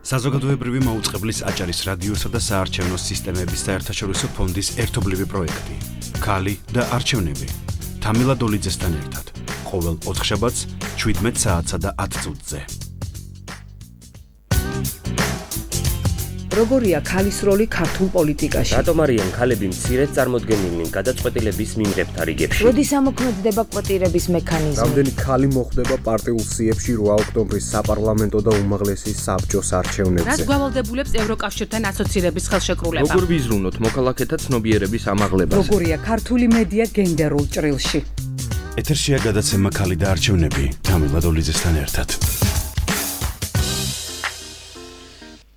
საზოგადოებრივი მაუწყებლის აჭარის რადიოსა და საარჩევნო სისტემების საერთაშორისო ფონდის ერთობლივი პროექტი. ქალი და არჩევნები. თამილა დოლიძესთან ერთად. ყოველ 4 შაბათს 17 საათსა და 10 წუთზე. როგორია ქალის როლი ქართულ პოლიტიკაში? რატომ არიან ქალები მცირედ წარმოდგენილნი გადაწყვეტილების მიმღებთა რიგებში? როდის ამოქმედდება კვოტირების მექანიზმი? რამდენი ქალი მოხვდება პარტიულ სიებში 8 ოქტომბრის საპარლამენტო და უმაღლესი საბჭოს არჩევნებზე? რაც გვალვალდებულებს ევროკავშირთან ასოცირების ხელშეკრულება? როგორ ვიზრუნოთ მოქალაქეთა ცნობიერების ამაღლებას? როგორია ქართული მედია გენდერულ ჭრილში? ეთერშია გადაცემა ქალი და არჩევნები. თამილა დოლიძესთან ერთად.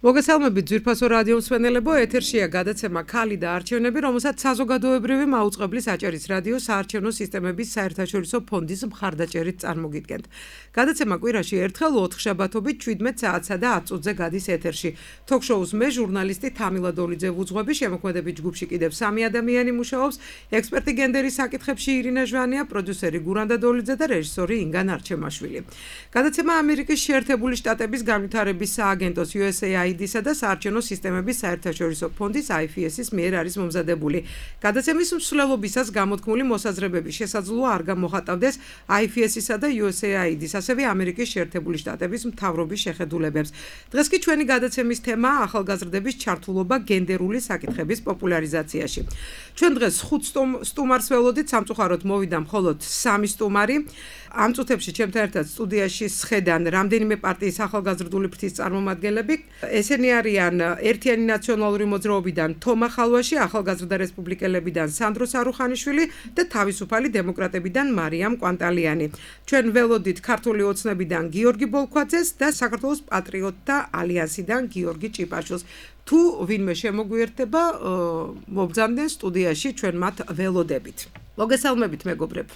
მოგესალმებით ძვირფასო რადიო მსმენელებო, ეთერშია გადაცემა ქალი და არჩევნები, რომელსაც საზოგადოებრივი მაუწყებლის აჭარის რადიო საარჩევნო სისტემების საერთაშორისო ფონდის მხარდაჭერით წარმოგიდგენთ. გადაცემა კვირაში ერთხელ 4 შაბათობით 17 საათსა და 10 წუთზე გადის ეთერში. თოქ-შოუს მე ჟურნალისტი თამილა დოლიძე ვუძღვები, შემოქმედებით ჯგუფში კიდევ 3 ადამიანი მუშაობს, ექსპერტი გენდერის საკითხებში ირინა ჟვანია, პროდიუსერი გურანდა დოლიძე და რეჟისორი ინგა ნარჩემაშვილი. გადაცემა ამერიკის შეერთებული შტატების განვითარების სააგენტოს USAID-ისა და საარჩევნო სისტემების საერთაშორისო ფონდის IFS-ის მიერ არის მომზადებული. გადაცემის მსვლელობისას გამოთქმული მოსაზრებები შესაძლოა არ გამოხატავდეს IFS-ისა და USAID-ის, ასევე ამერიკის შეერთებული შტატების მთავრობის შეხედულებებს. დღეს კი ჩვენი გადაცემის თემაა ახალგაზრდების ჩართულობა გენდერული საკითხების პოპულარიზაციაში. ჩვენ დღეს 5 სტუმარს ველოდით, სამწუხაროდ მოვიდა მხოლოდ 3 სტუმარი. ამ წუთებში ჩემთან ერთად სტუდიაში სხედან რამდენიმე პარტიის ახალგაზრდული ფრთის წარმომადგენლები. ესენი არიან ერთიანი ნაციონალური მოძრაობიდან თომა ხალვაში, ახალგაზრდა რესპუბლიკელებიდან სანდრო სარუხანიშვილი და თავისუფალი დემოკრატებიდან მარიამ კვანტალიანი. ჩვენ ველოდით ქართული ოცნებიდან გიორგი ბოლქვაძეს და საქართველოს პატრიოტთა ალიანსიდან გიორგი ჭიპაშვილს. თუ ვინმე შემოგვიერთდება, მობრძანდნენ სტუდიაში ჩვენ მათ ველოდებით. მოგესალმებით მეგობრებ.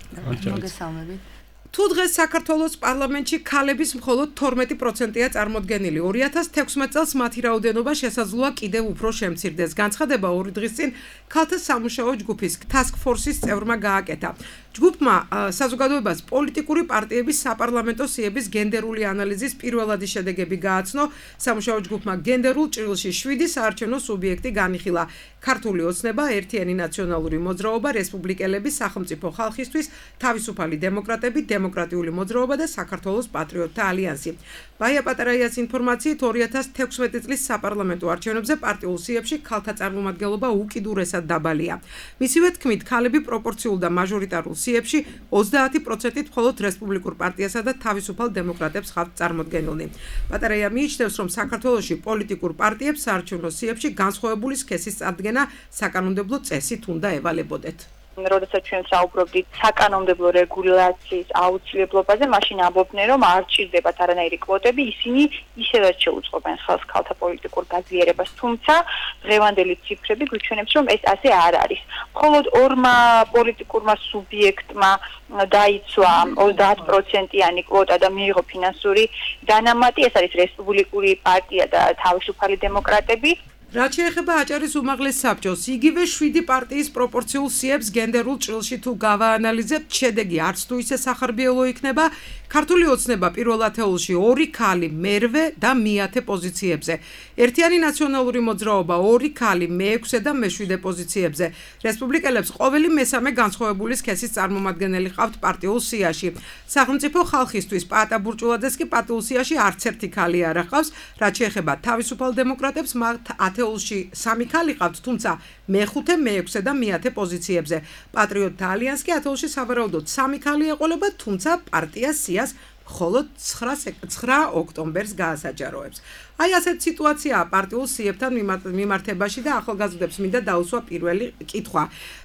მოგესალმებით. თუ დღეს საქართველოს პარლამენტში ქალების მხოლოდ 12%-ია წარმოდგენილი, 2016 წელს მათი რაოდენობა შესაძლოა კიდევ უფრო შემცირდეს. განცხადება 2 დღის წინ ქალთა სამუშაო ჯგუფის Task Force-ის წევრმა გააკეთა. ჯგუფმა საზოგადოებას პოლიტიკური პარტიების საპარლამენტო სიების გენდერული ანალიზის პირველადი შედეგები გააცნო. სამუშაო ჯგუფმა გენდერულ ჭრილში 7 საარჩევნო სუბიექტი განიხილა. ქართული ოცნება, ერთიანი ნაციონალური მოძრაობა, რესპუბლიკელები, სახელმწიფო ხალხისთვის, თავისუფალი დემოკრატები, დემოკრატიული მოძრაობა და საქართველოს პატრიოტთა ალიანსი. ბაია პატარაიას ინფორმაციით 2016 წლის საპარლამენტო არჩევნებზე პარტიულ სიებში ქალთა წარმომადგენლობა უკიდურესად დაბალია. მისივე თქმით, ქალები პროპორციულ და მაჟორიტარულ სიებში 30%-ით მხოლოდ რესპუბლიკურ პარტიასა და თავისუფალ დემოკრატებს ხავთ წარმოდგენილნი. პატარაია მიიჩნევს, რომ საქართველოში პოლიტიკურ პარტიებს საარჩევნო სიებში განსხვავებული სქესის წარდგენა საკანონმდებლო წესით უნდა ევალებოდეთ. როდესაც ჩვენ საუბრობდით საკანონმდებლო რეგულაციის აუცილებლობაზე, მაშინ ამბობდნენ, რომ არ ჭირდებათ არანაირი კვოტები, ისინი ისედაც შეუწყობენ ხელს ქალთა პოლიტიკურ გაძლიერებას, თუმცა დღევანდელი ციფრები გვიჩვენებს, რომ ეს ასე არ არის. მხოლოდ 2 პოლიტიკურმა სუბიექტმა დაიცვა 30%-იანი კვოტა და მიიღო ფინანსური დანამატი, ეს არის რესპუბლიკური პარტია და თავისუფალი დემოკრატები. რაც შეეხება აჭარის უმაღლეს საბჭოს, იგივე 7 პარტიის პროპორციულ სიებს გენდერულ ჭრილში თუ გავაანალიზებთ, შედეგი არც თუ ისე სახარბიელო იქნება. ქართული ოცნება პირველ ათეულში 2 ქალი მერვე და მეათე პოზიციებზე. ერთიანი ნაციონალური მოძრაობა 2 ქალი მე-6 და მე-7 პოზიციებზე. რესპუბლიკელებს ყოველი მესამე განსხვავებული სქესის წარმომადგენელი ყავთ პარტიულ სიაში. სახელმწიფო ხალხისთვის პაატა ბურჭულაძეს კი პარტიულ სიაში არც ერთი ქალი არ ახავს. რაც შეეხება თავისუფალ დემოკრატებს, მათ ათეულში 3 ქალი ყავთ, თუმცა მე-5, მე-6 და მე-10 პოზიციებზე. პატრიოტთა ალიანსი კი ათეულში სავარაუდოდ 3 ქალი ეყოლება, თუმცა პარტია სიას მხოლოდ 9 ოქტომბერს გაასაჯაროებს. აი ასეთ სიტუაციაა პარტიულ სიებთან მიმართებაში და ახალგაზრდებს მინდა დაუსვა პირველი კითხვა.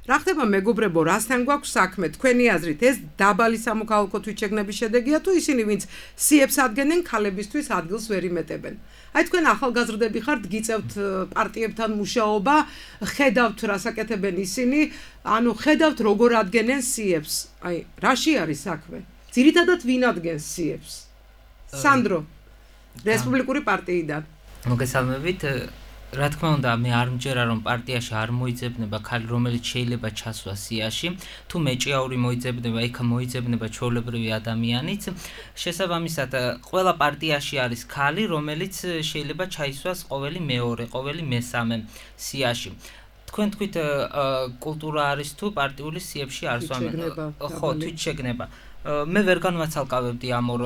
რა ხდება მეგობრებო, რასთან გვაქვს საქმე? თქვენი აზრით ეს დაბალი სამოქალაქო თვითშეგნების შედეგია თუ ისინი, ვინც სიებს ადგენენ, ქალებისთვის ადგილს ვერ იმეტებენ? აი თქვენ ახალგაზრდები ხართ, გიწევთ პარტიებთან მუშაობა, ხედავთ რას აკეთებენ ისინი, ანუ ხედავთ როგორ ადგენენ სიებს. აი, რაში არის საქმე? ძირითადად ვინ ადგენს სიებს? სანდრო, რესპუბლიკური პარტიიდან. მოგესალმებით. რა თქმა უნდა, მე არ მჯერა რომ პარტიაში არ მოიძებნება ქალი, რომელიც შეიძლება ჩასვას სიაში, თუ მეჭიაური მოიძებნება, იქ მოიძებნება ჩვეულებრივი ადამიანიც. შესაბამისად, ყველა პარტიაში არის ქალი, რომელიც შეიძლება ჩაისვას ყოველი მეორე, ყოველი მესამე სიაში. თქვენ თქვით კულტურა არის თუ პარტიული სიებში არ სვამენ. ხო, თვით შეგნება. მე ვერ განვაცალკავებდი ამ ორ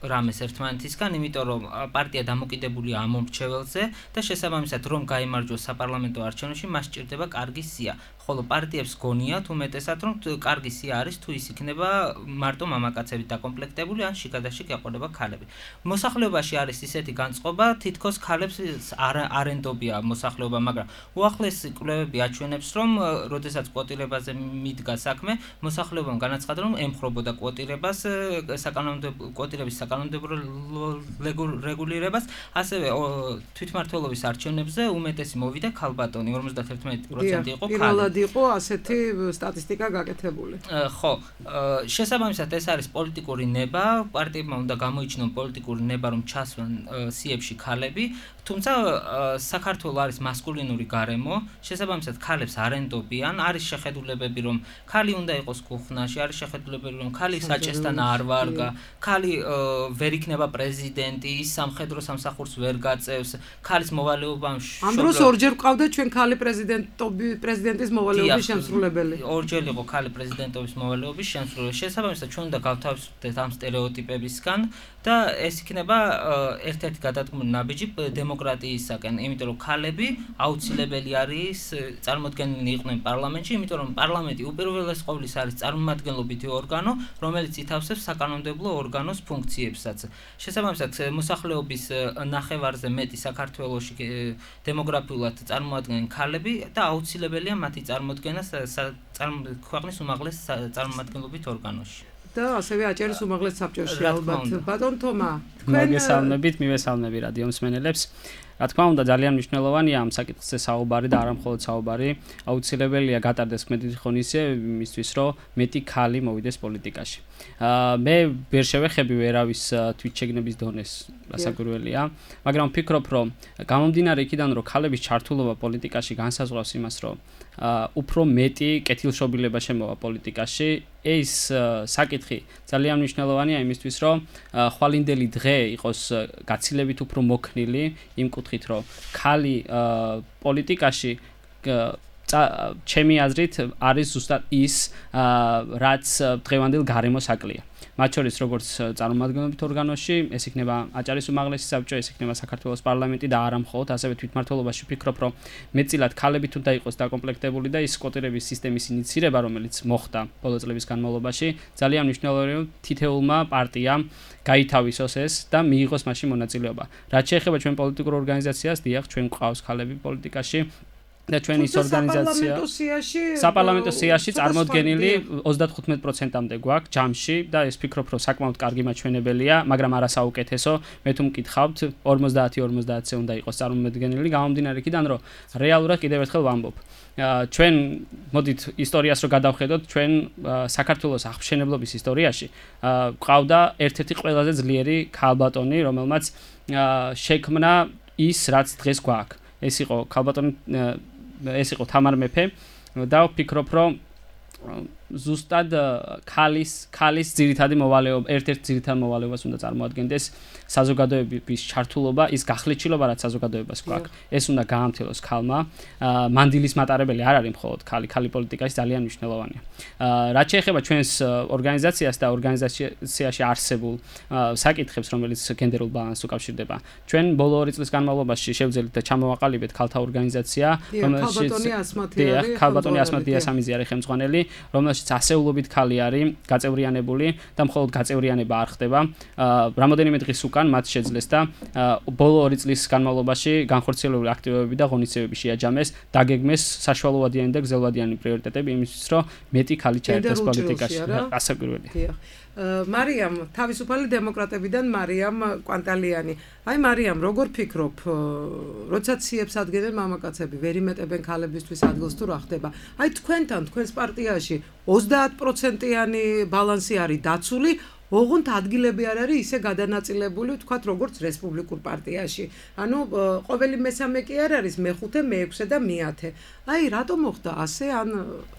რამეს ერთმანეთისგან, იმიტომ რომ პარტია დამოკიდებულია ამ მომრჩეველზე და შესაბამისად რომ გაიმარჯვოს საპარლამენტო არჩევნებში, მას სჭირდება კარგი სია. ხოლო პარტიებს გონიათ უმეტესად რომ კარგი სია არის თუ ის იქნება მარტო მამაკაცებით დაკომპლექტებული ან შიგადაშიგ ეყოლება ქალები. მოსახლეობაში არის ისეთი განწყობა, თითქოს ქალებს არ ენდობია მოსახლეობა, მაგრამ უახლესი კვლევები აჩვენებს, რომ როდესაც კვოტირებაზე მიდგა საქმე, მოსახლეობამ განაცხადა, რომ ემხრობოდა კვოტირებას, კვოტირების საკანონმდებლო რეგულირებას, ასევე თვითმმართველობის არჩევნებზე უმეტესი მოვიდა ქალბატონი, 51% იყო ქალი. იყო ასეთი სტატისტიკა გაკეთებული. ხო, შესაბამისად ეს არის პოლიტიკური ნება, პარტიებმა უნდა გამოიჩინონ პოლიტიკური ნება, რომ ჩასვან სიებში ქალები, თუმცა საქართველოს არის მასკულინური გარემო, შესაბამისად ქალებს არ ენდობიან, არის შეხედულებები, რომ ქალი უნდა იყოს კუხნაში, არის შეხედულებები, რომ ქალი საჭესთან არ ვარგა, ქალი ვერ იქნება პრეზიდენტი, ის სამხედრო სამსახურს ვერ გაწევს, ქალის მოვალეობა ამ დროს ორჯერ ყავდა ჩვენ ქალი პრეზიდენტის მოვალეობის შემსრულებელი. ორჯერ იყო ქალი პრეზიდენტობის მოვალეობის შემსრულებელი. შესაბამისად, ჩვენ უნდა გავთავისუფლდეთ ამ სტერეოტიპებისგან და ეს იქნება ერთ-ერთი გადადგმული ნაბიჯი დემოკრატიისაკენ, იმიტომ რომ ქალები აუცილებელი არის წარმოდგენილნი იყვნენ პარლამენტში, იმიტომ რომ პარლამენტი უპირველეს ყოვლის არის წარმომადგენლობითი ორგანო, რომელიც ითავსებს საკანონმდებლო ორგანოს ფუნქციებსაც. შესაბამისად, მოსახლეობის ნახევარზე მეტი საქართველოში დემოგრაფიულად წარმოადგენენ ქალები და აუცილებელია მათი წარმოდგენა ქვეყნის უმაღლეს წარმომადგენლობით ორგანოში. და ასევე აჭარის უმაღლეს საბჭოში ალბათ. ბატონ თომა, მოგესალმებით, მივესალმები რადიო მსმენელებს. რა თქმა უნდა, ძალიან მნიშვნელოვანია ამ საკითხზე საუბარი და არა მხოლოდ საუბარი. აუცილებელია გატარდეს მეტი ღონისძიება იმისთვის, რომ მეტი ქალი მოვიდეს პოლიტიკაში. მე ვერ შევეხები ვერავის თვითშეგნების დონეს, გასაკვირველია, მაგრამ ვფიქრობ, რომ გამომდინარე იქიდან, რომ ქალების ჩართულობა პოლიტიკაში განსაზღვრავს იმას, რომ უფრო მეტი კეთილშობილება შემოვა პოლიტიკაში. ეს საკითხი ძალიან მნიშვნელოვანია იმისთვის, რომ ხვალინდელი დღე იყოს გაცილებით უფრო მოქნილი იმ კუთხით, რომ ქალი პოლიტიკაში ჩემი აზრით არის ზუსტად ის, რაც დღევანდელ გარემოს აკლია. მათ შორის როგორც წარმომადგენლობით ორგანოში, ეს იქნება აჭარის უმაღლესი საბჭო, ეს იქნება საქართველოს პარლამენტი და არა მხოლოდ, ასევე თვითმმართველობაში ვფიქრობ, რომ მეტწილად ქალებით უნდა იყოს დაკომპლექტებული და ის კვოტირების სისტემის ინიცირება, რომელიც მოხდა ბოლო წლების განმავლობაში, ძალიან მნიშვნელოვანია, რომ თითოეულმა პარტიამ გაითავისოს ეს და მიიღოს მასში მონაწილეობა. რაც შეეხება ჩვენ პოლიტიკურ ორგანიზაციას, დიახ, ჩვენ გვყავს ქალები პოლიტიკაში. და ჩვენ ის ორგანიზაცია საპარლამენტო სიაში წარმოდგენილი 35%-მდე გვაქვს ჯამში და ეს ვფიქრობ, რომ საკმაოდ კარგი მაჩვენებელია, მაგრამ არა საუკეთესო. მე თუ მკითხავთ 50-50-ზე უნდა იყოს წარმოდგენილი, გამომდინარე იქიდან, რომ რეალურად კიდევ ერთხელ ვამბობ. ჩვენ მოდით ისტორიას რო გადავხედოთ, ჩვენ საქართველოს აღფრთენებლობის ისტორიაში გვყავდა ერთ-ერთი ყველაზე ძლიერი ქალბატონი, რომელმაც შექმნა ის, რაც დღეს გვაქვს. ეს იყო თამარ მეფე და ვფიქრობ, რომ ზუსტად ქალის ძირითადი მოვალეობა, ერთ-ერთ ძირითად მოვალეობას უნდა წარმოადგენდეს საზოგადოების ჩართულობა, ის გახლეჩილობა, რაც საზოგადოებას გვაქვს. ეს უნდა გაამთელოს ქალმა. მანდილის მატარებელი არ არის მხოლოდ ქალი პოლიტიკაში ძალიან მნიშვნელოვანია. რაც შეეხება ჩვენს ორგანიზაციას და ორგანიზაციაში არსებულ საკითხებს, რომელიც გენდერულ ბალანსს უკავშირდება, ჩვენ ბოლო 2 წლის განმავლობაში შევძელით და ჩამოვაყალიბეთ ქალთა ორგანიზაცია, ქალბატონი ასმათია სამიზი არის ხელმძღვანელი, რომელშიც ასეულობით ქალი არის გაწევრიანებული და მხოლოდ გაწევრიანება არ ხდება. რამოდენიმე დღის უკან მათ შეძლეს და ბოლო 2 წლის განმავლობაში განხორციელებული აქტივობები და ღონისძიებები შეაჯამეს, დაგეგმეს საშუალოვადიანი და გრძელვადიანი პრიორიტეტები იმისთვის, რომ მეტი ქალი ჩაერთოს პოლიტიკაში. გასაკვირველია. მარიამ, თავისუფალი დემოკრატებიდან მარიამ კვანტალიანი. აი მარიამ, როგორ ფიქრობ, როდესაც სიებს ადგენენ მამაკაცები, ვერ იმეტებენ ქალებისთვის ადგილს თუ რა ხდება? აი თქვენთან, თქვენს პარტიაში 30%-იანი ბალანსი არის დაცული, ოღონდ ადგილები არ არის ისე გადანაწილებული, ვთქვათ, როგორც რესპუბლიკურ პარტიაში. ანუ ყოველი მესამე კი არ არის, მეხუთე, მეექვსე და მეათე. აი, რატომ მოხდა ასე, ან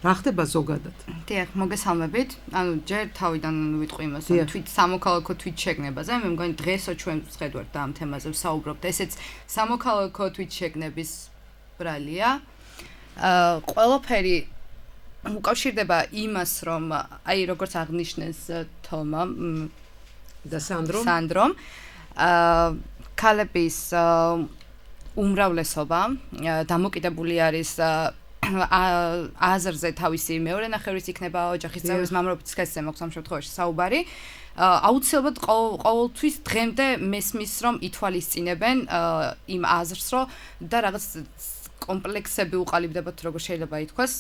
რა ხდება ზოგადად? დიახ, მოგესალმებით. ანუ ჯერ თავიდან ვიტყვი იმას, რომ თვით სამოქალაქო თვით შეგნებაზე, მე მგონი დღესო ჩვენ ვხედავთ და ამ თემაზე ვსაუბრობთ. ესეც სამოქალაქო თვით შეგნების ბრალია. ყველაფერი უკავშირდება იმას, რომ აი როგორც აღნიშნეს თომა და სანდრომ, ქალების უმრავლესობა დამოკიდებული არის აზრზე თავისი მეორე ნახევრის იქნება ოჯახის წევრის მამრობის სქესზე მოხდა ამ შემთხვევაში საუბარი. აუცილებლად ყოველთვის დღემდე მესმის რომ ითვალისწინებენ იმ აზრს, რომ და რაღაც კომპლექსები უყალიბდებათ, როგორ შეიძლება ითქვას.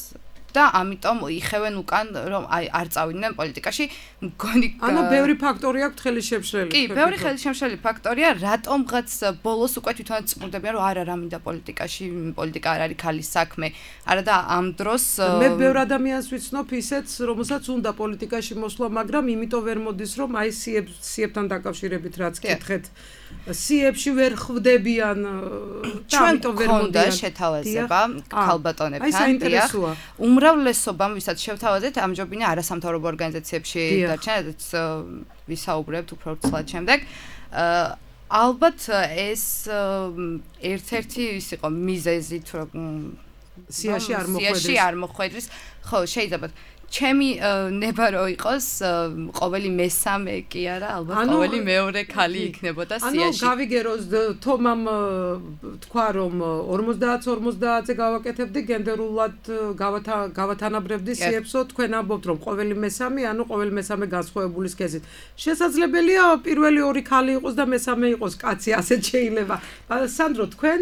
და ამიტომ იხევენ უკან რომ აი არ წავიდნენ პოლიტიკაში მგონი ანუ ბევრი ფაქტორი აქვს ხელი შემშლელი კი ბევრი ხელი შემშლელი ფაქტორია რატომღაც ბოლოს უკვე თვითონ წმურდებიან რომ არა მინდა პოლიტიკაში პოლიტიკა არ არის ქალის საქმე არა და ამ დროს მე ბევრ ადამიანს ვიცნობ ისეც რომელსაც უნდა პოლიტიკაში მოსვლა მაგრამ იმიტომ ვერ მოდის რომ აი სიებთან დაკავშირებით რაც კითხეთ სიებში ვერ ხვდებიან და ამიტომ ვერ მოდიან შეთავაზება ქალბატონებთან დიახ უმრავლესობამ ვისაც შევთავაზეთ ამჯობინა არასამთავრობო ორგანიზაციებში დარჩენადაც ვისაუბრებთ უფრო ცლად შემდეგ ალბათ ეს ერთ-ერთი ის იყო მიზეზით რომ სიაში არ მოხვედრის ხო შეიძლება ჩემი ნება რო იყოს ყოველი მესამე კი არა ალბათ ყოველი მეორე ქალი იქნებოდა სიაში. ანუ გავიგეროს თომამ თქვა რომ 50-50-ზე გავაკეთებდი გენდერულად გავათანაბრებდი სიებსო თქვენ ამბობთ რომ ყოველი მესამე ანუ ყოველი მესამე განსხვავებული სქესით. შესაძლებელია პირველი ორი ქალი იყოს და მესამე იყოს კაცი ასეთ შეიძლება. სანდრო თქვენ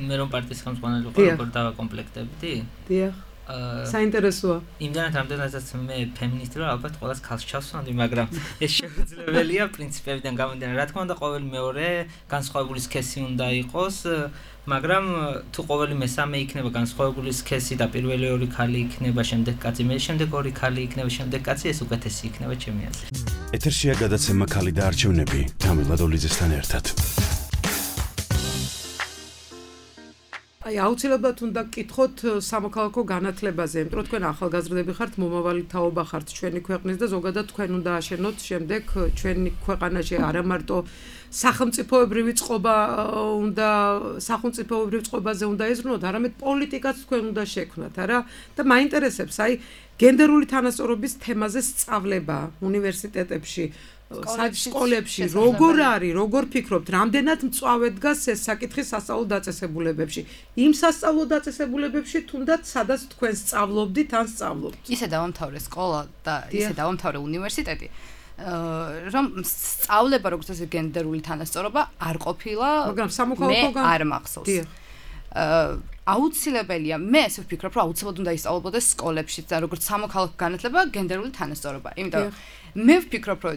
მე რომ პარტიის ხელმძღვანელი ვიყო როგორ დავაკომპლექტებდი? დიახ. საინტერესოა. იმდანაც რამდენადაც მე ფემინისტი ვარ, ალბათ ყველას ქალს ჩავსვამდი, მაგრამ ეს შეუძლებელია პრინციპებიდან გამომდინარე. რა თქმა უნდა, ყოველი მეორე განსხვავებული სქესი უნდა იყოს, მაგრამ თუ ყოველი მესამე იქნება განსხვავებული სქესი და პირველი ორი ქალი იქნება, შემდეგ კაცი, მე შემდეგ ორი ქალი იქნება, შემდეგ კაცი, ეს უკეთესი იქნება ჩემი აზრით. ეთერშია გადაცემა ქალი და არჩევნები თამილა დოლიძესთან ერთად. აი აუცილებლად უნდა გკითხოთ სამოქალაქო განათლებაზე, იმიტომ რომ თქვენ ახალგაზრდები ხართ, მომავალი თაობა ხართ ჩვენი ქვეყნის და ზოგადად თქვენ უნდა აშენოთ შემდეგ ჩვენი ქვეყანაში არა მარტო სახელმწიფოებრივი წყობაზე უნდა ეზრუნოთ, არამედ პოლიტიკაც თქვენ უნდა შექმნათ, არა? და მაინტერესებს აი გენდერული თანასწორობის თემაზე სწავლება უნივერსიტეტებში სკოლებში როგორ არის, როგორ ფიქრობთ, რამდენად მწვავე დგას ეს საკითხი სასწავლო დაწესებულებებში? იმ სასწავლო დაწესებულებებში თუნდაც სადაც თქვენ სწავლობდით ან სწავლობთ? ისე დავამთავრე სკოლა და ისე დავამთავრე უნივერსიტეტი, რომ სწავლება როგორც ეს გენდერული თანასწორობა არ ყოფილა, მაგრამ სამოქალაქო არ მახსოვს. აუცილებელია, მე ესე ვფიქრობ, რომ აუცილებლად უნდა ისწავლებოდეს სკოლებში და როგორც სამოქალაქო განათლება გენდერული თანასწორობა. იმიტომ მე ვფიქრობ, რომ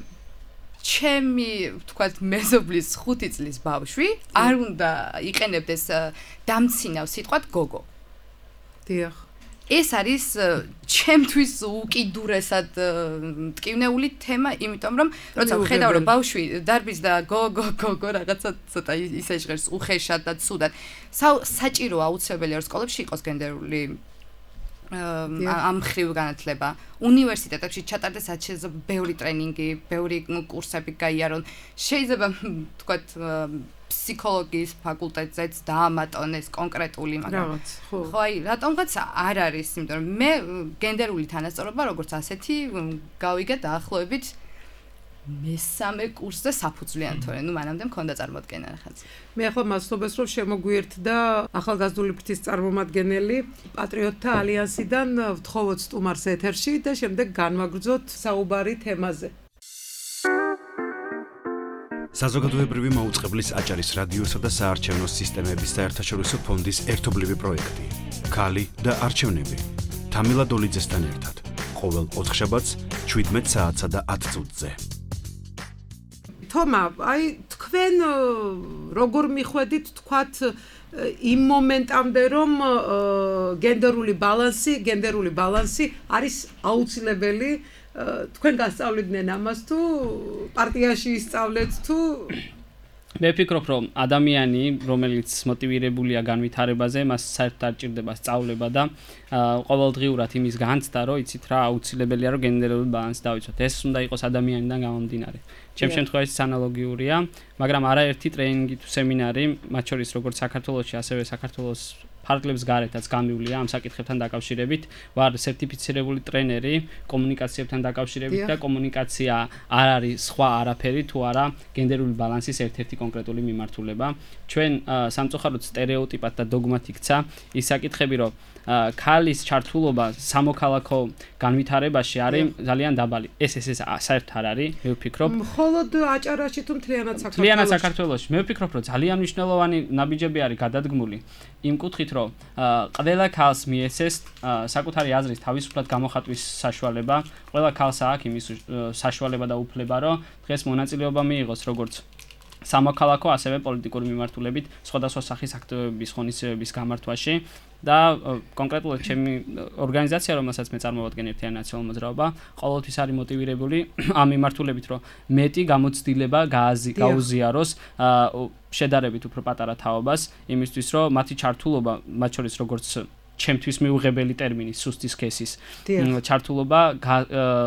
ჩემი, ვთქვათ, მეზობლის 5 წლის ბავშვი არ უნდა იყენებდეს დამცინავ სიტყვად გოგო. დიახ. ეს არის ჩემთვის უკიდურესად მტკივნეული თემა, იმიტომ რომ როცა ვხედავ რომ ბავშვი დარბის და გოგო რაღაცა ცოტა ისე ჟღერს უხეშად და ცუდად. საჭირო აუცილებელია რომ სკოლებში იყოს გენდერული ამ ხრივ განათლება. უნივერსიტეტებში ჩატარდეს შეიძლება ბევრი ტრენინგი, ბევრი კურსები გაიარონ. შეიძლება ვთქვათ ფსიქოლოგიის ფაკულტეტზეც დაამატონეს კონკრეტული, მაგრამ ხო აი რატომღაც არ არის, იმიტომ რომ მე გენდერული თანასწორობა როგორც ასეთი გავიგე დაახლოებით მესამე კურსზე საფუძვლიან თორე, ნუ მანამდე მქონდა წარმოდგენა რაღაც. მე ახლა მასწავლებს რომ შემოგვიერთდა ახალგაზრდული ფრთის წარმომადგენელი პატრიოტთა ალიანსიდან ვთხოვოთ სტუმარს ეთერში და შემდეგ განვაგრძოთ საუბარი თემაზე. საზოგადოებრივი მაუწყებლის აჭარის რადიოსა და საარჩევნო სისტემების საერთაშორისო ფონდის ერთობლივი პროექტი. ქალი და არჩევნები. თამილა დოლიძესთან ერთად. ყოველ ოთხშაბათს 17 საათსა და 10 წუთზე. თომა, აი თქვენ როგორ მიხვედით თქვათ იმ მომენტამდე რომ გენდერული ბალანსი არის აუცილებელი თქვენ გასწავლიდნენ ამას თუ პარტიაში ისწავლეთ თუ მე ვფიქრობ, რომ ადამიანი, რომელიც მოტივირებულია განვითარებაზე, მას საერთოდ არ ჭირდება სწავლება და ყოველდღიურად იმის განცდა, რომ იცით რა, აუცილებელია რომ გენდერული ბალანსი დავიცვათ. ეს უნდა იყოს ადამიანიდან გამომდინარე. ჩემ შემთხვევაში ანალოგიურია, მაგრამ არაერთი ტრეინინგი თუ სემინარი, მათ შორის როგორც საქართველოში, ასევე საქართველოს ფარგლებს გარეთაც გამივლია ამ საკითხებთან დაკავშირებით. ვარ სერტიფიცირებული ტრენერი კომუნიკაციებთან დაკავშირებით და კომუნიკაცია არ არის სხვა არაფერი თუ არა გენდერული ბალანსის ერთ-ერთი კონკრეტული მიმართულება. ჩვენ სამწუხაროდ სტერეოტიპად და დოგმად იქცა ის საკითხები, რომ ქალის ჩართულობა სამოქალაქო განვითარებაში არის ძალიან დაბალი. ეს საერთოდ არ არის, მე ვფიქრობ. მხოლოდ აჭარაში თუ მთლიანად საქართველოში? მთლიანად საქართველოში. მე ვფიქრობ, რომ ძალიან მნიშვნელოვანი ნაბიჯები არის გადადგმული იმ კუთხით, რომ ყველა ქალს მიეცეს საკუთარი აზრის თავისუფლად გამოხატვის საშუალება. ყველა ქალს აქვს იმის საშუალება და უფლება, რომ დღეს მონაწილეობა მიიღოს როგორც სამოქალაქო, ასევე პოლიტიკური მიმართულებით სხვადასხვა სახის აქტივობების ღონისძიებების გამართვაში. და კონკრეტულად ჩემი ორგანიზაცია, რომელსაც მე წარმოვადგენ ერთიანი ნაციონალური მოძრაობა, ყოველთვის არის მოტივირებული ამ მიმართულებით, რომ მეტი გამოცდილება გაუზიაროს შედარებით უფრო პატარა თაობას, იმისთვის, რომ მათი ჩართულობა, მათ შორის როგორც ჩემთვის მიუღებელი ტერმინი სუსტი სქესის ჩართულობა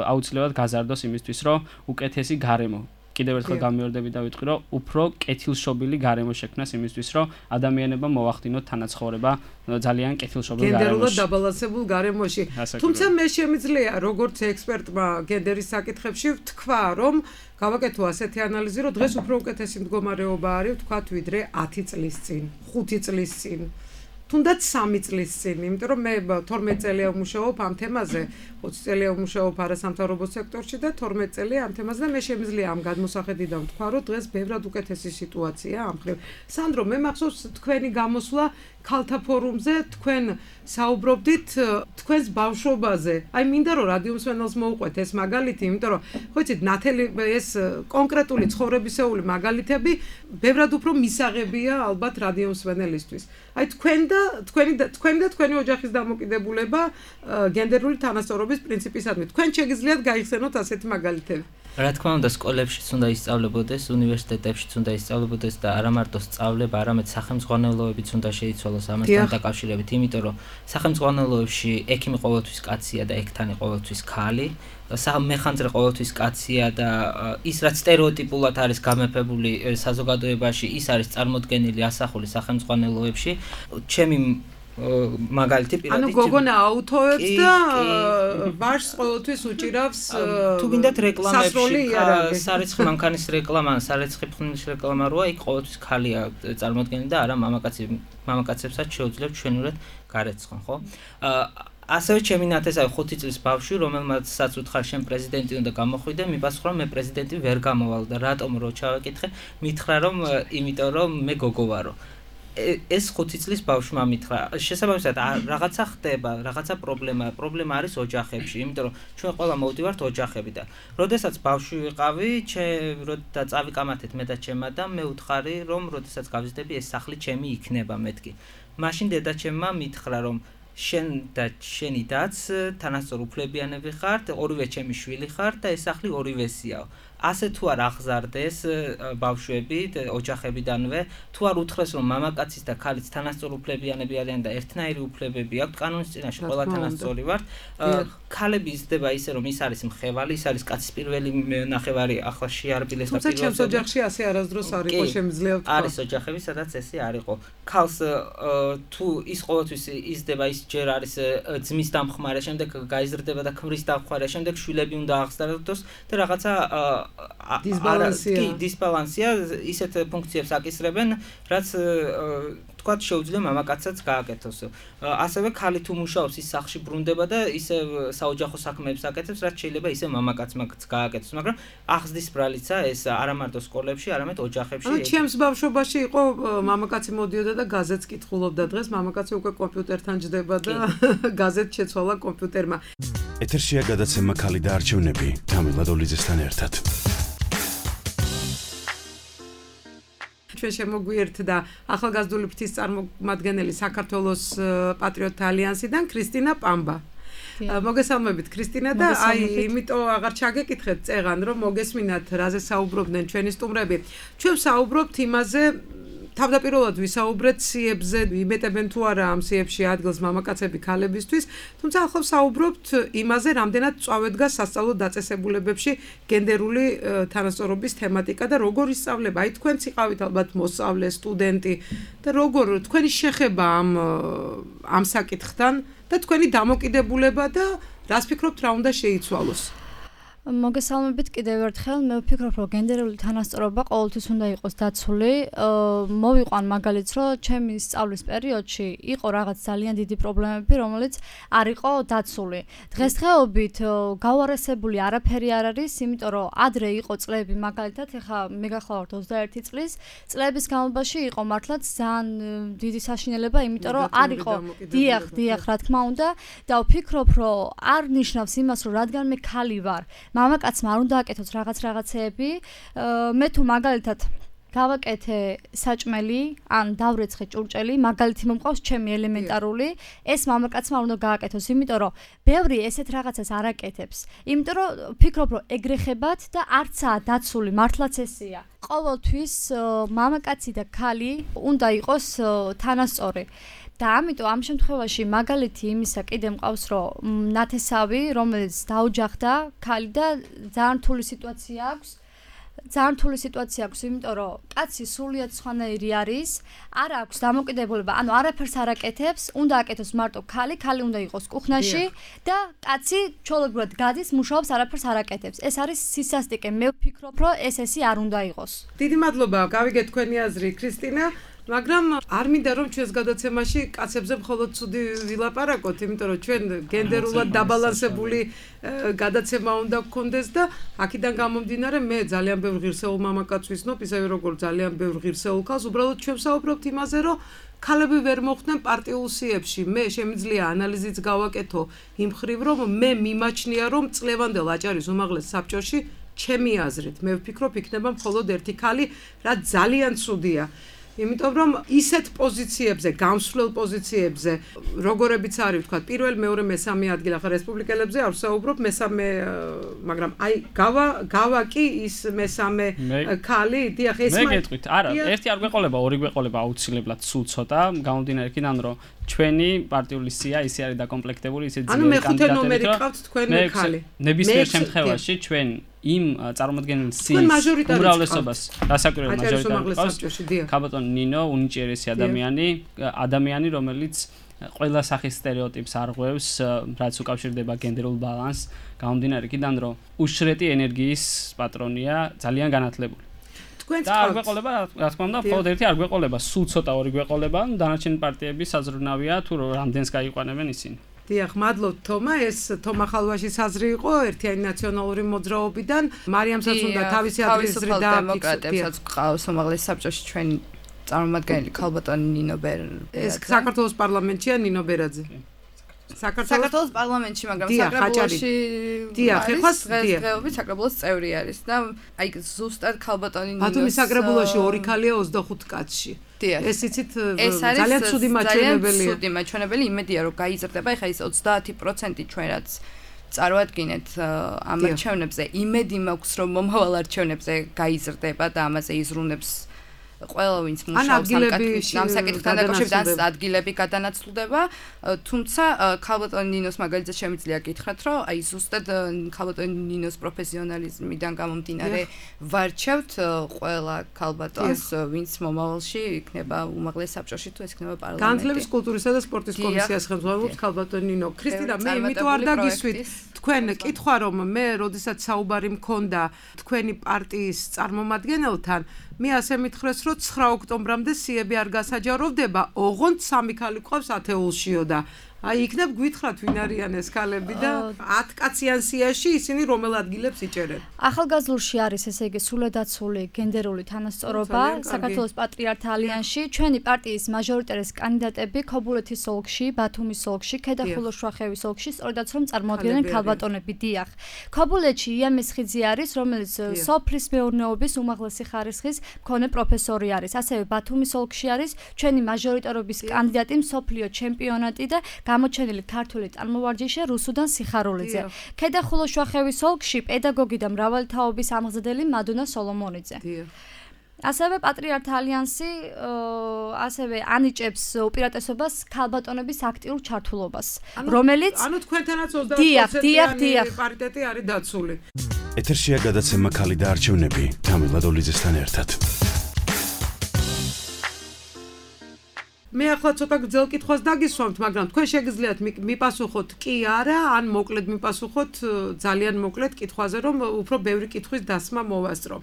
აუცილებლად გაზარდოს იმისთვის, რომ უკეთესი გარემო კიდევ ერთხელ გამიორდები და ვიტყვი, რომ უფრო კეთილშობილი გარემო შექმნას იმისთვის, რომ ადამიანებმა მოახდინოთ თანაცხოვრება ძალიან კეთილშობილ გარემოში. გენდერულად დაბალანსებულ გარემოში. თუმცა მე შემიძლია როგორც ექსპერტმა გენდერის საკითხებში ვთქვა, რომ გავაკეთო ასეთი ანალიზი, რომ დღეს უფრო უკეთესი მდგომარეობა არის, ვთქვათ, ვიდრე 10 წლის წინ, 5 წლის წინ. თუნდაც 3 წლის წინ, იმიტომ რომ მე 12 წელია ვმუშაობ ამ თემაზე, 20 წელია ვმუშაობ არასამთავრობო სექტორში და 12 წელია ამ თემაზე და მე შემიძლია ამ გადმოსახედიდან ვთქვა, რომ დღეს ბევრად უკეთესი სიტუაცია ამ ხრივ. სანდრო, მე მახსოვს თქვენი გამოსვლა ქალთა ფორუმზე, თქვენ საუბრობდით თქვენს ბავშვობაზე. აი მინდა რომ რადიო მსმენელს მოუყვეთ ეს მაგალითი, იმიტომ რომ ხო იცით, ნათელი ეს კონკრეტული ცხოვრებისეული მაგალითები ბევრად უფრო მისაღებია ალბათ რადიო მსმენელისთვის. აი თქვენი და თქვენი ოჯახის დამოკიდებულება გენდერული თანასწორობის პრინციპისადმი. თქვენ შეგიძლიათ გაიხსენოთ ასეთი მაგალითები. რა თქმა უნდა, სკოლებშიც უნდა ისწავლებოდეს, უნივერსიტეტებშიც უნდა ისწავლებოდეს და არა მარტო სწავლება, არამედ სახელმძღვანელოებიც უნდა შეიცვალოს ამასთან დაკავშირებით, იმიტომ რომ სახელმძღვანელოებში ექიმი ყოველთვის კაცია და ექთანი ყოველთვის ქალი. მეხანძრე ყოველთვის კაცია და ის რაც სტერეოტიპულად არის გამეფებული საზოგადოებაში, ის არის წარმოდგენილი ასახული სახელმძღვანელოებში. ჩემი მაგალითი პირადად ანუ გოგონა აუთოებს და ბარს ყოველთვის უჭირავს თუ გინდათ რეკლამებში სარეცხი მანქანის რეკლამა, სარეცხი ფხნის რეკლამა როა, იქ ყოველთვის ქალია წარმოდგენილი და არა მამაკაცებსაც შეუძლებთ ჩვენურად გარეცხონ, ხო? ასევე ჩემი ნათესავი 5 წლის ბავშვი, რომელმაც უთხარ შენ პრეზიდენტი უნდა გამოხვიდე, მიპასუხა რომ მე პრეზიდენტი ვერ გამოვალ და რატომ რო ჩავეკითხე, მითხრა რომ იმიტომ რომ მე გოგო ვარო. ეს 5 წლის ბავშვმა მითხრა. შესაბამისად რაღაცა ხდება, რაღაცა პრობლემა არის ოჯახებში, იმიტომ რომ ჩვენ ყველა მოვდივართ ოჯახები და როდესაც ბავშვი ვიყავი, და წავიკამათეთ მე და ჩემმა და მე უთხარი რომ როდესაც გავიზრდები ეს სახლი ჩემი იქნება მეთქი. მაშინ დედაჩემმა მითხრა რომ შენ და შენი დაც თანასწორ უფლებიანები ხართ, ორივე ჩემი შვილი ხართ და ეს სახლი ორივესიაო. ასე თუ არ აღზარდეს ბავშვები ოჯახებიდანვე, თუ არ უთხრეს რომ მამაკაცის და ქალის თანასწორ უფლებიანები არიან და ერთნაირი უფლებები აქვთ კანონის წინაშე ყველა თანასწორი ვართ, ქალები იზრდება ისე რომ ის არის მხევალი, ის არის კაცის პირველი ნახევარი, ახლა შეარბილეს და თუმცა ჩემს ოჯახში ასე არასდროს არ იყო, შემიძლია ვთქვა. არის ოჯახები, სადაც ესე არ იყო. ქალს თუ ის ყოველთვის იზრდება, ის ჯერ არის ძმის დამხმარე, შემდეგ გაიზრდება და ქმრის დამხმარე, შემდეგ შვილები უნდა აღზარდოს და რაღაცა დისბალანსია ისეთ ფუნქციებს აკისრებენ, რაც თქვათ შეუძლია მამაკაცსაც გააკეთოს. ასევე ქალი თუ მუშაობს, ის სახლში ბრუნდება და ისე საოჯახო საქმეებს აკეთებს, რაც შეიძლება ისე მამაკაცმა გააკეთოს, მაგრამ ახსდის ბრალიცა ეს არა მარტო სკოლებში, არამედ ოჯახებში. ანუ ჩემს ბავშვობაში იყო მამაკაცი მოდიოდა და გაზეთს კითხულობდა, დღეს მამაკაცი უკვე კომპიუტერთან ჯდება და გაზეთს შეცვალა კომპიუტერმა. ეთერშია გადაცემა ქალი და არჩევნები თამილა დოლიძესთან ერთად. ჩვენ შემოგვიერთდა ახალგაზრდული ფრთის წარმომადგენელი საქართველოს პატრიოტთა ალიანსიდან ქრისტინა პამბა. მოგესალმებით ქრისტინა და იმიტომ აღარ ჩაგეკითხეთ წეღან რომ მოგესმინათ რაზე საუბრობდნენ ჩვენი სტუმრები. ჩვენ საუბრობთ იმაზე თავდაპირველად ვისაუბრეთ სიებზე, იმეტებენ თუ არა ამ სიებში ადგილს მამაკაცები ქალებისთვის, თუმცა ახლა საუბრობთ იმაზე, რამდენად წავედგა სასწავლო დაწესებულებებში გენდერული თანასწორობის თემატიკა და როგორ ისწავლება. აი თქვენც იყავით ალბათ მოსწავლე, სტუდენტი და როგორ თქვენი შეხება ამ საკითხთან და თქვენი დამოკიდებულება და რას ფიქრობთ რა უნდა შეიცვალოს? მოგესალმებით კიდევ ერთხელ. მე ვფიქრობ, რომ გენდერული თანასწორობა ყოველთვის უნდა იყოს დაცული. მოვიყვან მაგალითს, რომ ჩემი სწავლის პერიოდში იყო რაღაც ძალიან დიდი პრობლემები, რომელიც არ იყო დაცული. დღესდღეობით გავარესებული არაფერი არ არის, იმიტომ რომ ადრე იყო წლები, მაგალითად, ეხლა მე გახლავართ 21 წლის, წლების განმავლობაში იყო მართლაც ძალიან დიდი საშინელება, იმიტომ რომ არ იყო დიახ, რა თქმა უნდა, და ვფიქრობ, რომ არ ნიშნავს იმას, რომ რადგან მე ქალი ვარ, მამაკაცმა არ უნდა აკეთოს რაღაცეები. მე თუ მაგალითად გავაკეთე საჭმელი, ან დავრეცხე ჭურჭელი, მაგალითი მომყავს ჩემი ელემენტარული, ეს მამაკაცმა არ უნდა გააკეთოს, იმიტომ რომ ბევრი ესეთ რაღაცას არ აკეთებს. იმიტომ რომ ვფიქრობ, რომ ეგრეხებათ და არცაა დაცული, მართლაც ესეა. ყოველთვის მამაკაცი და ქალი უნდა იყოს თანასწორი. და ამიტომ ამ შემთხვევაში მაგალითი იმისა კიდე მყავს, რომ ნათესავი, რომელიც დაუჯახდა ქალი და ძალიან რთული სიტუაცია აქვს, იმიტომ რომ კაცი სულიად სხვანაირი არის, არ აქვს დამოკიდებულება, ანუ არაფერს არ აკეთებს, უნდა აკეთოს მარტო ქალი უნდა იყოს კუხნაში და კაცი ჩვეულებრივად გადის, მუშაობს, არაფერს არ აკეთებს. ეს არის სისასტიკე. მე ვფიქრობ, რომ ესე არ უნდა იყოს. დიდი მადლობა, გავიგეთ თქვენი აზრი, ქრისტინა. მაგრამ არ მინდა რომ ჩვენს გადაცემაში კაცებზე მხოლოდ ცუდი ვილაპარაკოთ, იმიტომ რომ ჩვენ გენდერულად დაბალანსებული გადაცემა უნდა გქონდეს და აქედან გამომდინარე მე ძალიან ბევრ ღირსეულ მამაკაცს ვისნობ, ისევე როგორც ძალიან ბევრ ღირსეულ ქალს, უბრალოდ ჩვენ ვსაუბრობთ იმაზე, რომ ქალები ვერ მოხვდნენ პარტიულ სიებში. მე შემიძლია ანალიზიც გავაკეთო იმ ხრივ, რომ მე მიმაჩნია, რომ წლევანდელ აჭარის უმაღლეს საბჭოში ჩემი აზრით, მე ვფიქრობ, იქნება მხოლოდ ერთი ქალი, რაც ძალიან ცუდია. იმიტომ რომ ისეთ პოზიციებზე, გამსვლელ პოზიციებზე, როგორებიც არის, ვთქვათ, პირველ, მეორე, მესამე ადგილი, ახლა რესპუბლიკელებზე არ ვსაუბრობ, მესამე, მაგრამ აი გავა კი ის მესამე ქალი, დიახ, ეს მე გეტყვით, არა, ერთი არ გვეყოლება, ორი გვეყოლება აუცილებლად სულ ცოტა, გამომდინარე იქიდან, რომ ჩვენი პარტიული სია ისე არის დაკომპლექტებული, ისე ძლიერი კანდიდატები. ანუ მეხუთე ნომერი ყავთ თქვენ ქალი. ნებისმიერ შემთხვევაში ჩვენ იმ წარმოადგენელ სიის უმრავლესობას დასაკვირველ მაჟორიტარს ქალბატონ ნინო უნიჭიერესი ადამიანი, რომელიც ყველა სახის სტერეოტიპს არღვევს, რაც უკავშირდება გენდერულ ბალანსს, გამომდინარე იქიდან, რომ უშრეტი ენერგიის პატრონია, ძალიან განათლებული. და არ გვეყოლება, რა თქმა უნდა, მხოლოდ ერთი არ გვეყოლება, სულ ცოტა ორი გვეყოლება, დანარჩენი პარტიები საზრუნავია თუ რამდენს გაიყვანებენ ისინი. დიახ, მადლობთ თომა, ეს თომა ხალვაშის აზრი იყო ერთიანი ნაციონალური მოძრაობიდან. მარიამსაც უნდა თავისი ადრესრი დემოკრატებსაც გყავს უმაღლეს საბჭოში ჩვენი წარმომადგენელი ქალბატონი ნინო ბერაძე. ეს საქართველოს პარლამენტშია ნინო ბერაძე. საქართველოს პარლამენტში, მაგრამ საკრებულოში დღესდღეობით საკრებულოს წევრი არის და აი ზუსტად ქალბატონი ნინოს ბათუმის საკრებულოში ორი ქალია 25 კაცში. ეს იცით ძალიან ცუდი მაჩვენებელი. ძალიან ცუდი მაჩვენებელი, იმედია რომ გაიზრდება, ეხლა ის 30% ჩვენ რაც წარვადგინეთ ამ არჩევნებზე, იმედი მაქვს რომ მომავალ არჩევნებზე გაიზრდება და ამაზე იზრუნებს ყველა ვინც მუშაობს ამ საკითხთან დაკავშირებით ადგილები გადანაცვლდება, თუმცა ქალბატონ ნინოს მაგალითად შემიძლია გითხრათ, რომ აი ზუსტად ქალბატონ ნინოს პროფესიონალიზმიდან გამომდინარე ვარჩევთ ყველა ქალბატონს, ვინც მომავალში იქნება უმაღლეს საბჭოში თუ ეს იქნება პარლამენტი. განათლების, კულტურისა და სპორტის კომისიას ხელმძღვანელობს ქალბატონ ნინო. ქრისტინა, მე იმიტომ არ დაგისვით თქვენ კითხვა, რომ მე როდესაც საუბარი მქონდა თქვენი პარტიის წარმომადგენელთან, მე ასე მითხრეს, რომ 9 ოქტომბრამდე სიები არ გასაჯაროვდება, ოღონდ 3 ქალი ყავს ათეულშიო და აი იქნებ გვითხრათ ვინ არიან ეს ქალები და 10 კაციან სიაში ისინი რომელ ადგილებს იჭერენ. ახალგაზრდულში არის ესე იგი სრულედაცული გენდერული თანასწორობა საქართველოს პატრიართა ალიანსში. ჩვენი პარტიის მაჟორიტარის კანდიდატები ქობულეთის ოლქში, ბათუმის ოლქში, ქედახულოს შუახევის ოლქში, სწორედაც რომ წარმოადგენენ ქალბატონები. დიახ. ქობულეთში იამის ხიძი არის, რომელიც სოფლის მეურნეობის უმაღლესი ხარისხის მქონე პროფესორი არის. ასევე ბათუმის ოლქში არის ჩვენი მაჟორიტარობის კანდიდატი მსოფლიო ჩემპიონატი და გამოჩენილი ქართული წარმოვარჯიშე რუსუდან სიხარულიძე. ქედახულოშვახევის ოლქში პედაგოგი და მრავალი თაობის ამღზადელი მადუნა სოლომონიძე. ასევე პატრიართა ალიანსი ასევე ანიჭებს უპირატესობას ქალბატონების აქტიურ ჩართულობას, რომელიც ანუ თქვენთანაც 20%-იანი პარიტეტი არის დაცული. ეთერშია გადაცემა ქალი და არჩევნები თამილა დოლიძესთან ერთად. მე ახლა ცოტა გრძელ კითხვას დაგისვამთ, მაგრამ თქვენ შეგიძლიათ მიპასუხოთ კი არა, ან მოკლედ მიპასუხოთ ძალიან მოკლედ კითხვაზე, რომ უფრო ბევრი კითხვის დასმა მოვასწრო.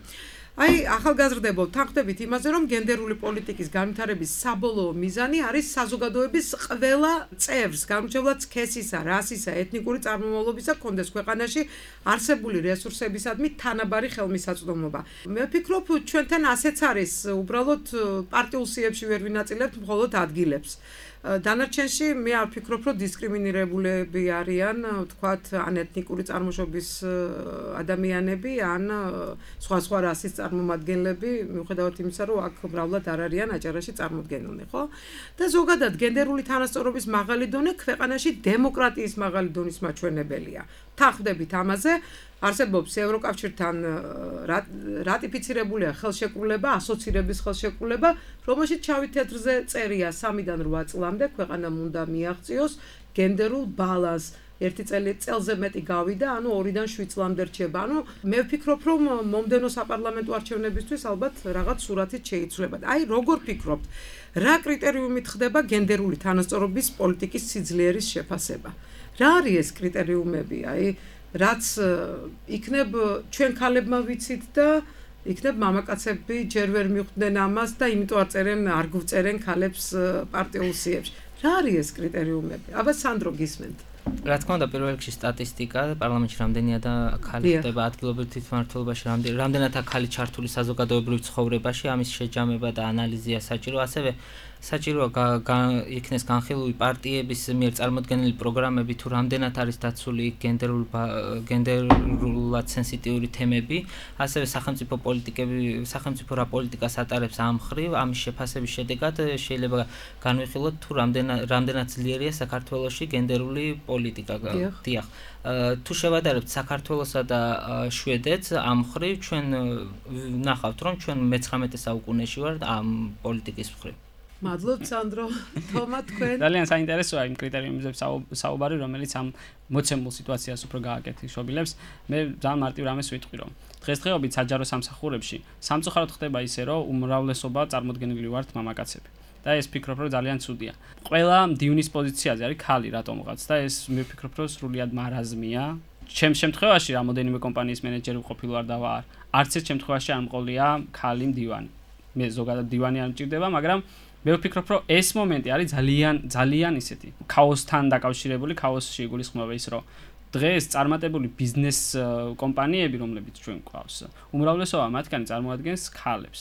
აი, ახალგაზრდებო, თანხდებით იმაზე, რომ გენდერული პოლიტიკის განვითარების საბოლოო მიზანი არის საზოგადოების ყველა წევრს, განსხვავებულად სქესისა, რასისა, ეთნიკური წარმომავლობისა კონდეს ქვეყანაში არსებული რესურსებისადმი თანაბარი ხელმისაწვდომობა. მე ვფიქრობ, ჩვენთან ასეც არის, უბრალოდ პარტიულ სიებში ვერ ვინაწილებთ მხოლოდ ადგილებს. დანარჩენში მე არ ვფიქრობ, რომ დისკრიმინირებულები არიან, თქვათ, ან ეთნიკური წარმოშობის ადამიანები, ან სხვა რასის წარმომადგენლები, მიუხედავად იმისა, რომ აქ მრავლად არ არიან აჭარაში წარმოდგენილნი, ხო? და ზოგადად გენდერული თანასწორობის მაღალი დონე ქვეყანაში დემოკრატიის მაღალი დონის მაჩვენებელია. თანხდებით ამაზე, არსებობს ევროკავშირთან რატიფიცირებულია ხელშეკრულება, ასოცირების ხელშეკრულება, რომელშიც შავი თეთრზე წერია 3-დან 8 წლამდე ქვეყანამ უნდა მიაღწიოს გენდერულ ბალანსს. ერთი წელზე მეტი გავიდა, ანუ 2-დან 7 წლამდე რჩება. ანუ მე ვფიქრობ, რომ მომდენო საპარლამენტო არჩევნებისთვის ალბათ რაღაც სურათით შეიცვლება. აი, როგორ ფიქრობთ, რა კრიტერიუმით ხდება გენდერული თანასწორობის პოლიტიკის სიძლიერის შეფასება? რა არის ეს კრიტერიუმები? აი, რაც იქნებ ჩვენ ქალებმა ვიცით და იქნებ მამაკაცები ჯერ ვერ მიხვდნენ ამას და იმიტომ არ გვწერენ ქალებს პარტიულ სიებში. რა არის ეს კრიტერიუმები? აბა სანდრო გისმენთ. რა თქმა უნდა, პირველ რიგში სტატისტიკა, პარლამენტში რამდენია და ქალი ხდება ადგილობრივ თვითმმართველობაში, რამდენად აქალი ჩართული საზოგადოებრივ ცხოვრებაში, ამის შეჯამება და ანალიზია საჭირო, ასევე საჭიროა იქნეს განხილული პარტიების მიერ წარმოდგენილი პროგრამები, თუ რამდენად არის დაცული გენდერულად სენსიტიური თემები, ასევე სახელმწიფო რა პოლიტიკას ატარებს ამ მხრივ, ამის შეფასების შედეგად შეიძლება განვიხილოთ, თუ რამდენად ძლიერია საქართველოში გენდერული პოლიტიკა. დიახ. თუ შევადარებთ საქართველოსა და შვედეთს ამ მხრივ, ჩვენ ნახავთ, რომ ჩვენ მე-19 საუკუნეში ვართ ამ პოლიტიკის მხრივ. მადლობთ სანდრო, თომა თქვენ. ძალიან საინტერესოა იმ კრიტერიუმებზე საუბარი, რომელიც ამ მოცემულ სიტუაციას უფრო გააკეთილებს. მე ძალიან მარტივ რამეს ვიტყვი, რომ დღესდღეობით საჯარო სამსახურებში სამწუხაროდ ხდება ისე, რომ უმრავლესობა წარმოდგენილი ვართ მამაკაცები. და ეს ვფიქრობ, რომ ძალიან ცუდია. ყველა მდივნის პოზიციაზე არის ქალი რატომღაც და ეს მე ვფიქრობ, რომ სრულიად მარაზმია. ჩემს შემთხვევაში რამოდენიმე კომპანიის მენეჯერი ვყოფილ ვარ და ვარ. არც ერთ შემთხვევაში არ მყოლია ქალი მდივანი. მე ზოგადად მდივანი არ მჭირდება, მაგრამ მე ვფიქრობ, რომ ეს მომენტი არის ძალიან ისეთი ქაოსთან დაკავშირებული, ქაოსში იგულისხმება ის, რომ დღეს წარმატებული ბიზნეს კომპანიები, რომლებიც ჩვენ გვყავს, უმრავლესობა მათგანი წარმოადგენს ქალებს.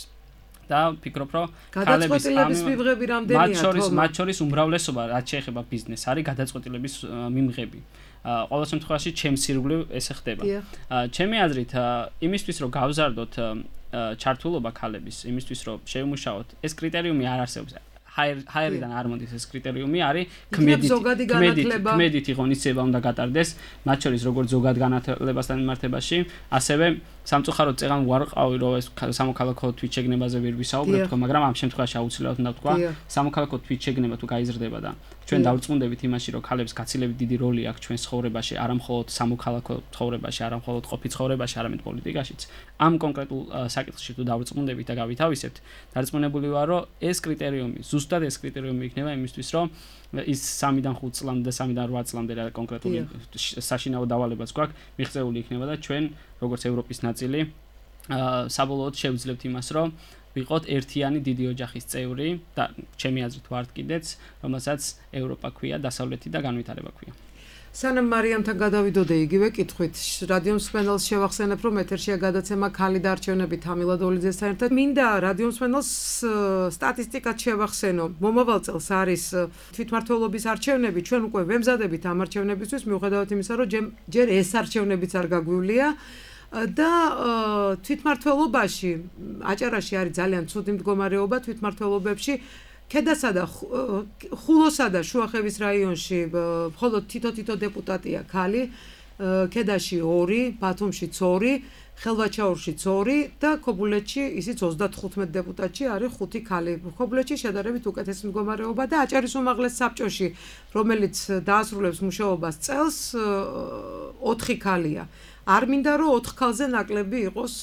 და ვფიქრობ, რომ ქალების მიღები რამდენია? მათ შორის უმრავლესობა, რაც შეეხება ბიზნესს, არის გადაწყვეტილების მიღები. ყოველ შემთხვევაში, ჩემს ირგვლივ ესე ხდება. ჩემი აზრით, იმისთვის, რომ გავზარდოთ ჩართულობა ქალების, იმისთვის, რომ შევიმუშაოთ, ეს კრიტერიუმი არ არსებობს. ჰაერიდან არ მოდის ეს კრიტერიუმი, არის ქმედითი ღონისძიება უნდა გატარდეს, მათ შორის როგორც ზოგად განათლებასთან მიმართებაში, ასევე სამწუხაროდ წეღან ვარყავი, რომ ეს სამოქალაქო თვითშეგნებაზე ვერ ვისაუბრებ, მაგრამ ამ შემთხვევაში აუცილებლად უნდა ვთქვა, სამოქალაქო თვითშეგნება თუ გაიზრდება და ჩვენ დავწმუნდებით იმაში, რომ ქალებს გაცილებით დიდი როლი აქვს ჩვენს ცხოვრებაში, არა მხოლოდ სამოქალაქო ცხოვრებაში, არა მხოლოდ ყოფით ცხოვრებაში, არამედ პოლიტიკაშიც. ამ კონკრეტულ საკითხში თუ დავწმუნდებით და გავითავისებთ, დარწმუნებული ვარ, რომ ეს კრიტერიუმი, ზუსტად ეს კრიტერიუმი იქნება იმისთვის, რომ ის 3-დან 5 წლამდე და 3-დან 8 წლამდე რა კონკრეტული საშინაო დავალებაც გვაქვს, მიღწეული იქნება და ჩვენ როგორც ევროპის ნაწილი საბოლოოდ შევძლებთ იმას, რომ ვიყოთ ერთიანი დიდი ოჯახის წევრი და ჩემი აზრით ვართ კიდეც, რომელსაც ევროპა ქვია, დასავლეთი და განვითარება ქვია. სანამ მარიამთან გადავიდოდე იგივე კითხვით, რადიო მსმენელს შევახსენებ, რომ ეთერშია გადაცემა ქალი და არჩევნები თამილა დოლიძესთან ერთად. მინდა რადიო მსმენელს სტატისტიკად შევახსენო. მომავალ წელს არის თვითმმართველობის არჩევნები, ჩვენ უკვე ვემზადებით ამ არჩევნებისთვის, მიუხედავად იმისა, რომ ჯერ ეს არჩევნებიც არ გაგვივლია. და თვითმმართველობაში აჭარაში არის ძალიან ცუდი მდგომარეობა თვითმმართველობებში ქედასა და ხულოსა და შუახევის რაიონში მხოლოდ თითო დეპუტატია ქალი, ქედაში 2, ბათუმში 2, ხელვაჩაურში 2 და ქობულეთში ისიც 35 დეპუტატში არის 5 ქალი. ქობულეთში შედარებით უკეთესი მდგომარეობა და აჭარის უმაღლეს საბჭოში, რომელიც დაასრულებს მუშაობას წელს, 4 ქალია. არ მინდა რომ 4 ქალზე ნაკლები იყოს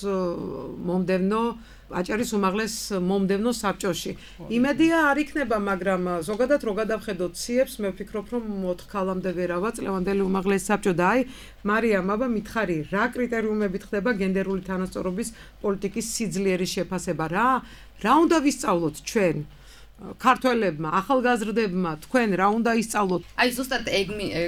მომდევნო აჭარის უმაღლეს მომდევნო საბჭოში. იმედია არ იქნება, მაგრამ ზოგადად რო გადავხედოთ ციებს, მე ვფიქრობ, რომ 4 ქალამდე ვერავა წლევანდელი უმაღლეს საბჭო და აი, მარიამ, აბა მითხარი, რა კრიტერიუმებით ხდება გენდერული თანასწორობის პოლიტიკის სიძლიერის შეფასება, რა უნდა ვისწავლოთ ჩვენ? ქართველებმა, ახალგაზრდებმა, თქვენ რა უნდა ისწავლოთ? აი ზუსტად ეგ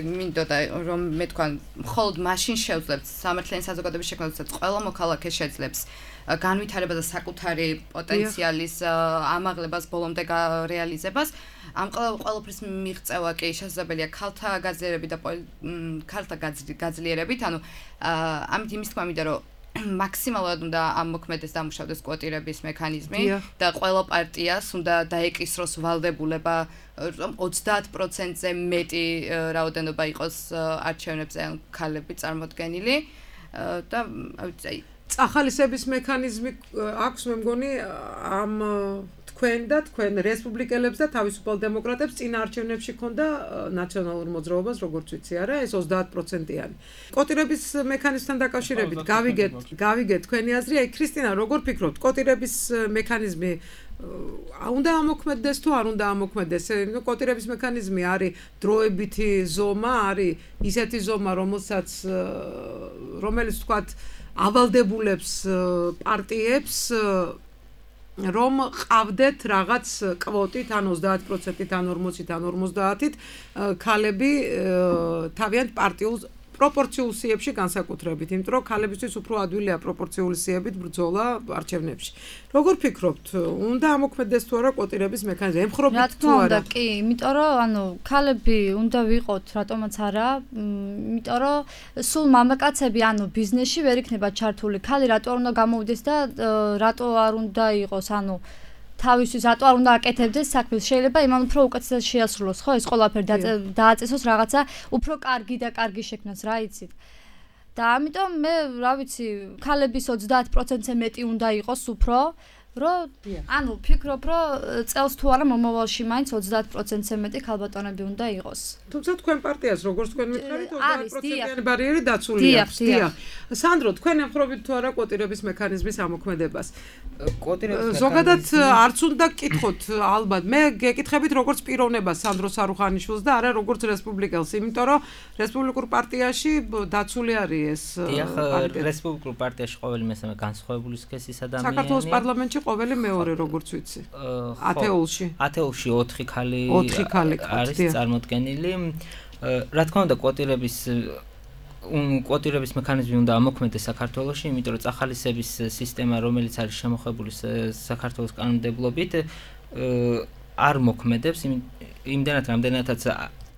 მინდოდა რომ მე თქვა, მხოლოდ მაშინ შევძლებთ სამართლიანი საზოგადოების შექმნას, როდესაც ყველა მოქალაქე შეძლებს განვითარება და საკუთარი პოტენციალის ამაღლებას ბოლომდე რეალიზებას. ამ ყველაფრის მიღწევა კი შესაძლებელია ქალთა გაძლიერებით და ქალთა გაძლიერებით, ანუ ამით იმის თქმა მინდა რომ მაქსიმალურად უნდა ამოქმედეს დამუშავდეს კვოტირების მექანიზმი და ყველა პარტიას უნდა დაეკისროს ვალდებულება 30%-ზე მეტი რაოდენობა იყოს არჩევნებზე ქალები წარმოდგენილი და აი წახალისების მექანიზმი აქვს მე მგონი ამ თქვენ რესპუბლიკელებს და თავისუფალ დემოკრატებს წინა არჩევნებში ქონდა ნაციონალურ მოძრაობას, როგორც ვიცი, არა, ეს 30%-იანი. კვოტირების მექანიზმთან დაკავშირებით გავიგეთ თქვენი აზრი. აი ქრისტინა, როგორ ფიქრობთ, კვოტირების მექანიზმი უნდა ამოქმედდეს თუ არ უნდა ამოქმედდეს? კვოტირების მექანიზმი არის დროებითი ზომა, არის ისეთი ზომა, რომელიც თქვათ ავალდებულებს პარტიებს რომ ყავდეთ რაღაც კვოტით ან 30%-ით ან 40-ით ან 50-ით ქალები თავიანთ პარტიულ პროპორციულ სიებში განსაკუთრებით, იმიტომ რომ ქალებისთვის უფრო ადვილია პროპორციული სიებით ბრძოლა არჩევნებში. როგორ ფიქრობთ, უნდა ამოქმედდეს თუ არა კვოტირების მექანიზმი? ემხრობთ თუ არა? კი, იმიტომ რომ ანუ ქალები უნდა ვიყოთ, რატომაც არა, იმიტომ რომ სულ მამაკაცები ანუ ბიზნესში ვერ იქნება ჩართული. ქალი რატო არ უნდა გამოვიდეს და რატო არ უნდა იყოს, ანუ თავისთვის რატო არ უნდა აკეთებდეს საქმეს? შეიძლება იმან უფრო უკეთესად შეასრულოს, ხო, ეს ყველაფერი დააწესოს რაღაცა უფრო კარგი და კარგი შექმნას, რა იცით. და ამიტომ მე, რა ვიცი, ქალების 30%-ზე მეტი უნდა იყოს უფრო, რომ ანუ ფიქრობ, რომ წელს თუ არა მომავალში მაინც 30%-ზე მეტი ქალბატონები უნდა იყოს. თუმცა თქვენ პარტიას როგორც თქვენ მითხარით 30%-იანი ბარიერი დაცული აქვს. დიახ. სანდრო, თქვენ ემხრობთ თუ არა კვოტირების მექანიზმის ამოქმედებას? ზოგადად არც უნდა გკითხოთ, ალბათ. მე გეკითხებით როგორც პიროვნებას სანდრო სარუხანიშვილს და არა როგორც რესპუბლიკელს, იმიტომ რომ რესპუბლიკურ პარტიაში დაცული არის ეს პარტია. რესპუბლიკურ პარტიაში ყოველი მესამე განსხვავებული სქესის ადამიანია. საქართველოს პარლამენტში ყოველი მეორე, როგორც ვიცი. ათეულში 4 ქალი არის წარმოდგენილი. რა თქმა უნდა, კვოტირების მექანიზმი უნდა ამოქმედდეს საქართველოში, იმიტომ რომ წახალისების სისტემა, რომელიც არის შემოხებული საქართველოს კანონმდებლობით, არ მოქმედებს იმდენად, რამდენადაც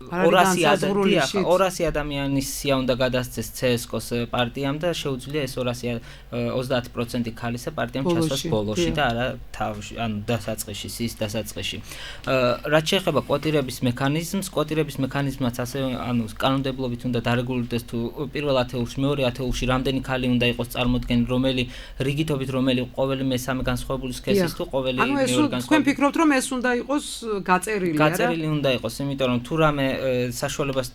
200 ადამიანის სია უნდა გადასცეს CSKO-ს პარტიამ და შეუძლია ეს 30% ქალისა პარტიამ ჩასვას ბოლოში და არა თავში, ანუ დასაწყისში, სიის დასაწყისში. რაც შეეხება კვოტირების მექანიზმს, ასევე ანუ კანონმდებლობით უნდა დარეგულირდეს თუ პირველ ათეულში, მეორე ათეულში რამდენი ქალი უნდა იყოს წარმოდგენილი, რიგითობით რომელი ყოველი მესამე განსხვავებული სქესის თუ ყოველი მეორე განსხვავებული. თქვენ ფიქრობთ რომ ეს უნდა იყოს გაწერილი, არა? გაწერილი უნდა იყოს, იმიტომ რომ თუ რამე საშუალებას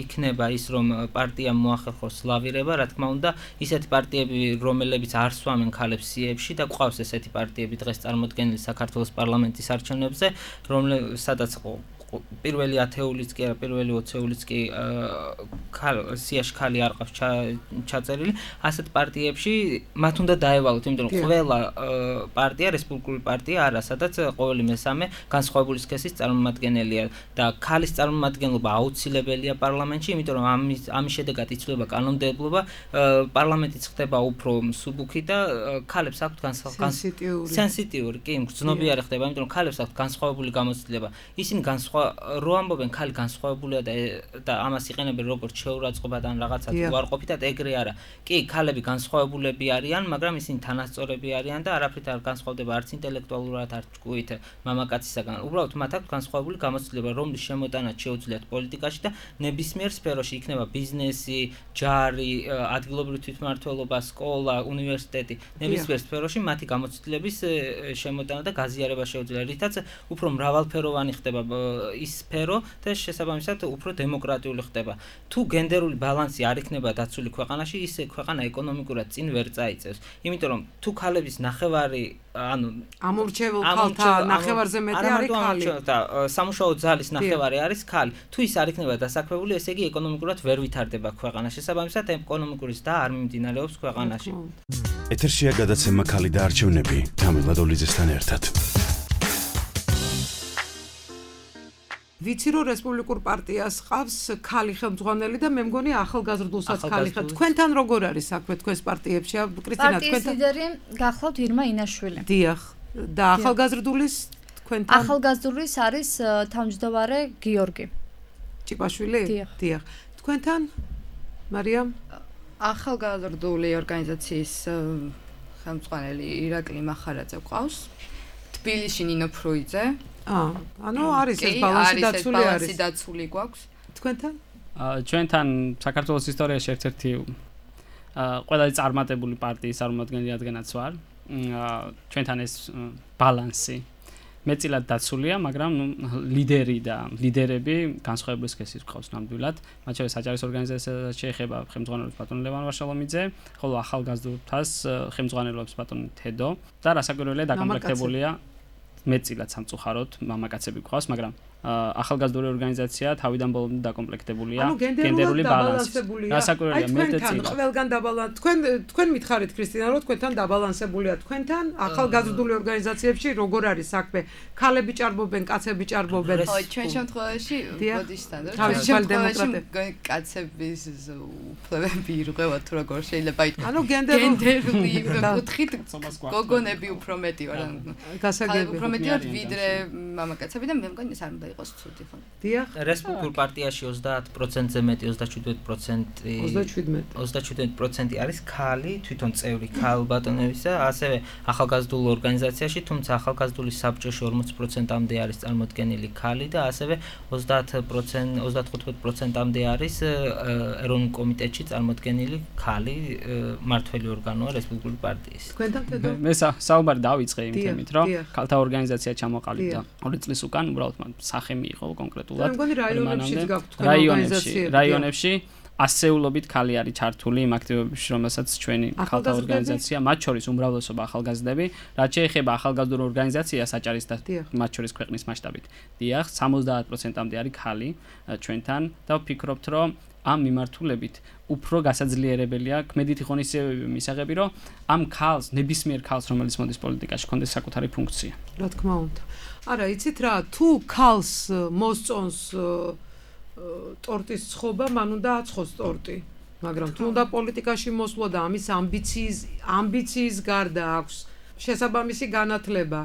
იქნება ის რომ პარტიამ მოახერხოს ლავირება, რა თქმა უნდა, ისეთი პარტიები, რომლებიც არ სვამენ ქალებს სიებში და გვყავს ესეთი პარტიები დღეს წარმოდგენილი საქართველოს პარლამენტის არჩევნებზე, სადაც პირველი 10-ულიც კი არა, პირველი 20-ულიც კი სიაში ქალი არ ყავს ჩაწერილი, ასეთ პარტიებში მათ უნდა დაევალოთ, იმიტომ რომ ყველა პარტია, რესპუბლიკური პარტია არა, სადაც ყოველი მესამე განსხვავებული სქესის წარმომადგენელია და ქალის წარმომადგენლობა აუცილებელია პარლამენტში, იმიტომ რომ ამის შედეგად იცვლება კანონმდებლობა, პარლამენტიც ხდება უფრო მსუბუქი და ქალებს აქვთ სენსიტიური, კი, გრძნობიარე ხდება, იმიტომ რომ ქალებს აქვთ განსხვავებული გამოცდილება. ისინი განსხვავებული ხო რო ამბობენ ქალი განსხვავებულია და ამას იყენებენ როგორც შეურაცხყოფად ან რაღაცა უარყოფითად ეგრე არა. კი, ქალები განსხვავებულები არიან, მაგრამ ისინი თანასწორები არიან და არაფრით არ განსხვავდება არც ინტელექტუალურად, არც ჭკუით მამაკაცისაგან. უბრალოდ მათ აქვს განსხვავებული გამოცდილება, რომლის შემოტანაც შეუძლიათ პოლიტიკაში და ნებისმიერ სფეროში, იქნება ბიზნესი, ჯარი, ადგილობრივი თვითმმართველობა, სკოლა, უნივერსიტეტი, ნებისმიერ სფეროში მათი გამოცდილების შემოტანა და გაზიარება შეუძლია, რითაც უფრო მრავალფეროვანი ხდება ის სფერო და შესაბამისად უფრო დემოკრატიული ხდება. თუ გენდერული ბალანსი არ იქნება დაცული ქვეყანაში, ის ქვეყანა ეკონომიკურად წინ ვერ წაიწევს. იმიტომ რომ თუ ქალების ნახევარი ანუ ამორჩეულ ქალთა ნახევარზე მეტი არის ქალი და სამუშაო ძალის ნახევარი არის ქალი. თუ ის არ იქნება დასაქმებული, ესე იგი ეკონომიკურად ვერ ვითარდება ქვეყანა. შესაბამისად ეკონომიკური ზრდა არ მიმდინარეობს ქვეყანაში. ეთერშია გადაცემა ქალი და არჩევნები თამილა დოლიძესთან ერთად. ვიცი რომ რესპუბლიკურ პარტიას ყავს ქალი ხელმძღვანელი და მე მგონი ახალგაზრდულსაც ქალი ხარ. თქვენთან როგორ არის საქმე თქვენს პარტიებში? კრისტინა, თქვენთან პარტიის ლიდერი გახლავთ ირმა ინაშვილი. დიახ. და ახალგაზრდულის თქვენთან? ახალგაზრდულის არის თავმჯდომარე გიორგი ჭიპაშვილი? დიახ. თქვენთან? მარიამ? ახალგაზრდული ორგანიზაციის ხელმძღვანელი ირაკლი მახარაძე ყავს. თბილისში ნინო ფროიძე. ანუ არის ეს ბალანსი დაცული გვაქვს. თქვენთან? ჩვენთან საქართველოს ისტორიაში ერთ-ერთი ყველაზე წარმატებული პარტიის წარმომადგენელი რადგანაც ვარ. ჩვენთან ეს ბალანსი მეტწილად დაცულია, მაგრამ ლიდერი და ლიდერები განსხვავებული სქესის გვყავს ნამდვილად. მათ შორის საჯარის ორგანიზაციასაც შეეხება ხელმძღვანელობს ბატონი ლევან ვაშალომიძე, ხოლო ახალგაზრდულთას ხელმძღვანელობს ბატონი თედო და რასაკვირველია დაკომპლექტებულია მეტწილად სამწუხაროდ მამაკაცები გვყავს, მაგრამ ახალგაზრდული ორგანიზაცია თავიდან ბოლომდე დაკომპლექტებულია გენდერული ბალანსით. რასაკვირველია მეტწილად. ყველგან თქვენ მითხარით კრისტინა, რომ თქვენთან დაბალანსებულია. თქვენთან ახალგაზრდული ორგანიზაციებში როგორ არის საქმე? ქალები ჭარბობენ, კაცები ჭარბობენ. ხო, ჩვენ შემთხვევაში ბოდიშთან და თავისუფალი დემოკრატები. კაცების უფლებები ირღვევა თუ როგორ შეიძლება ითქვას. ანუ გენდერული კუთხით გოგონები უფრო მეტი ვარ. გასაგები. უფრო მეტი ვარ ვიდრე მამაკაცები და მე მგონი ეს არ უნდა იყოს ცუდი ხო? დიახ. რესპუბლიკურ პარტიაში 30%-ზე მეტი 37% არის ქალი, თვითონ წევრი ქალბატონებისა, ასევე ახალგაზრდულ ორგანიზაციაში, თუმცა ახალგაზრდული საბჭოში 40%-მდე არის წარმოდგენილი ქალი და ასევე 35%-მდე არის ეროვნულ კომიტეტში წარმოდგენილი ქალი მმართველი ორგანოა რესპუბლიკური პარტიის. თქვენთან თედო? მე საუბარი დავიწყე იმ თემით, რომ ქალთა ორგანიზაცია ჩამოყალიბდა 2 წლის უკან, უბრალოდ სახე მიიღო კონკრეტულად. რაიონებში ასეულობით ქალი არის ჩართული იმ აქტივობებში, რომელსაც ჩვენი ქალთა ორგანიზაცია, მათ შორის უმრავლესობა ახალგაზრდები, რაც შეეხება ახალგაზრდულ ორგანიზაციას აჭარის და მათ შორის ქვეყნის მასშტაბით. დიახ, 70%-მდე არის ქალი ჩვენთან და ვფიქრობთ, რომ ამ მიმართულებით უფრო გასაძლიერებელია კმედითი ღონისძიებები მისაღები, რომ ამ ქალს, ნებისმიერ ქალს, რომელიც მოდის პოლიტიკაში, ჰქონდეს საკუთარი ფუნქცია. რა თქმა უნდა. არა, იცით რა, თუ ქალს მოსწონს ტორტის ცხობა, მან უნდა აცხოს ტორტი. მაგრამ თუ უნდა პოლიტიკაში მოსვლა და ამის ამბიციის გარდა აქვს შესაბამისი განათლება,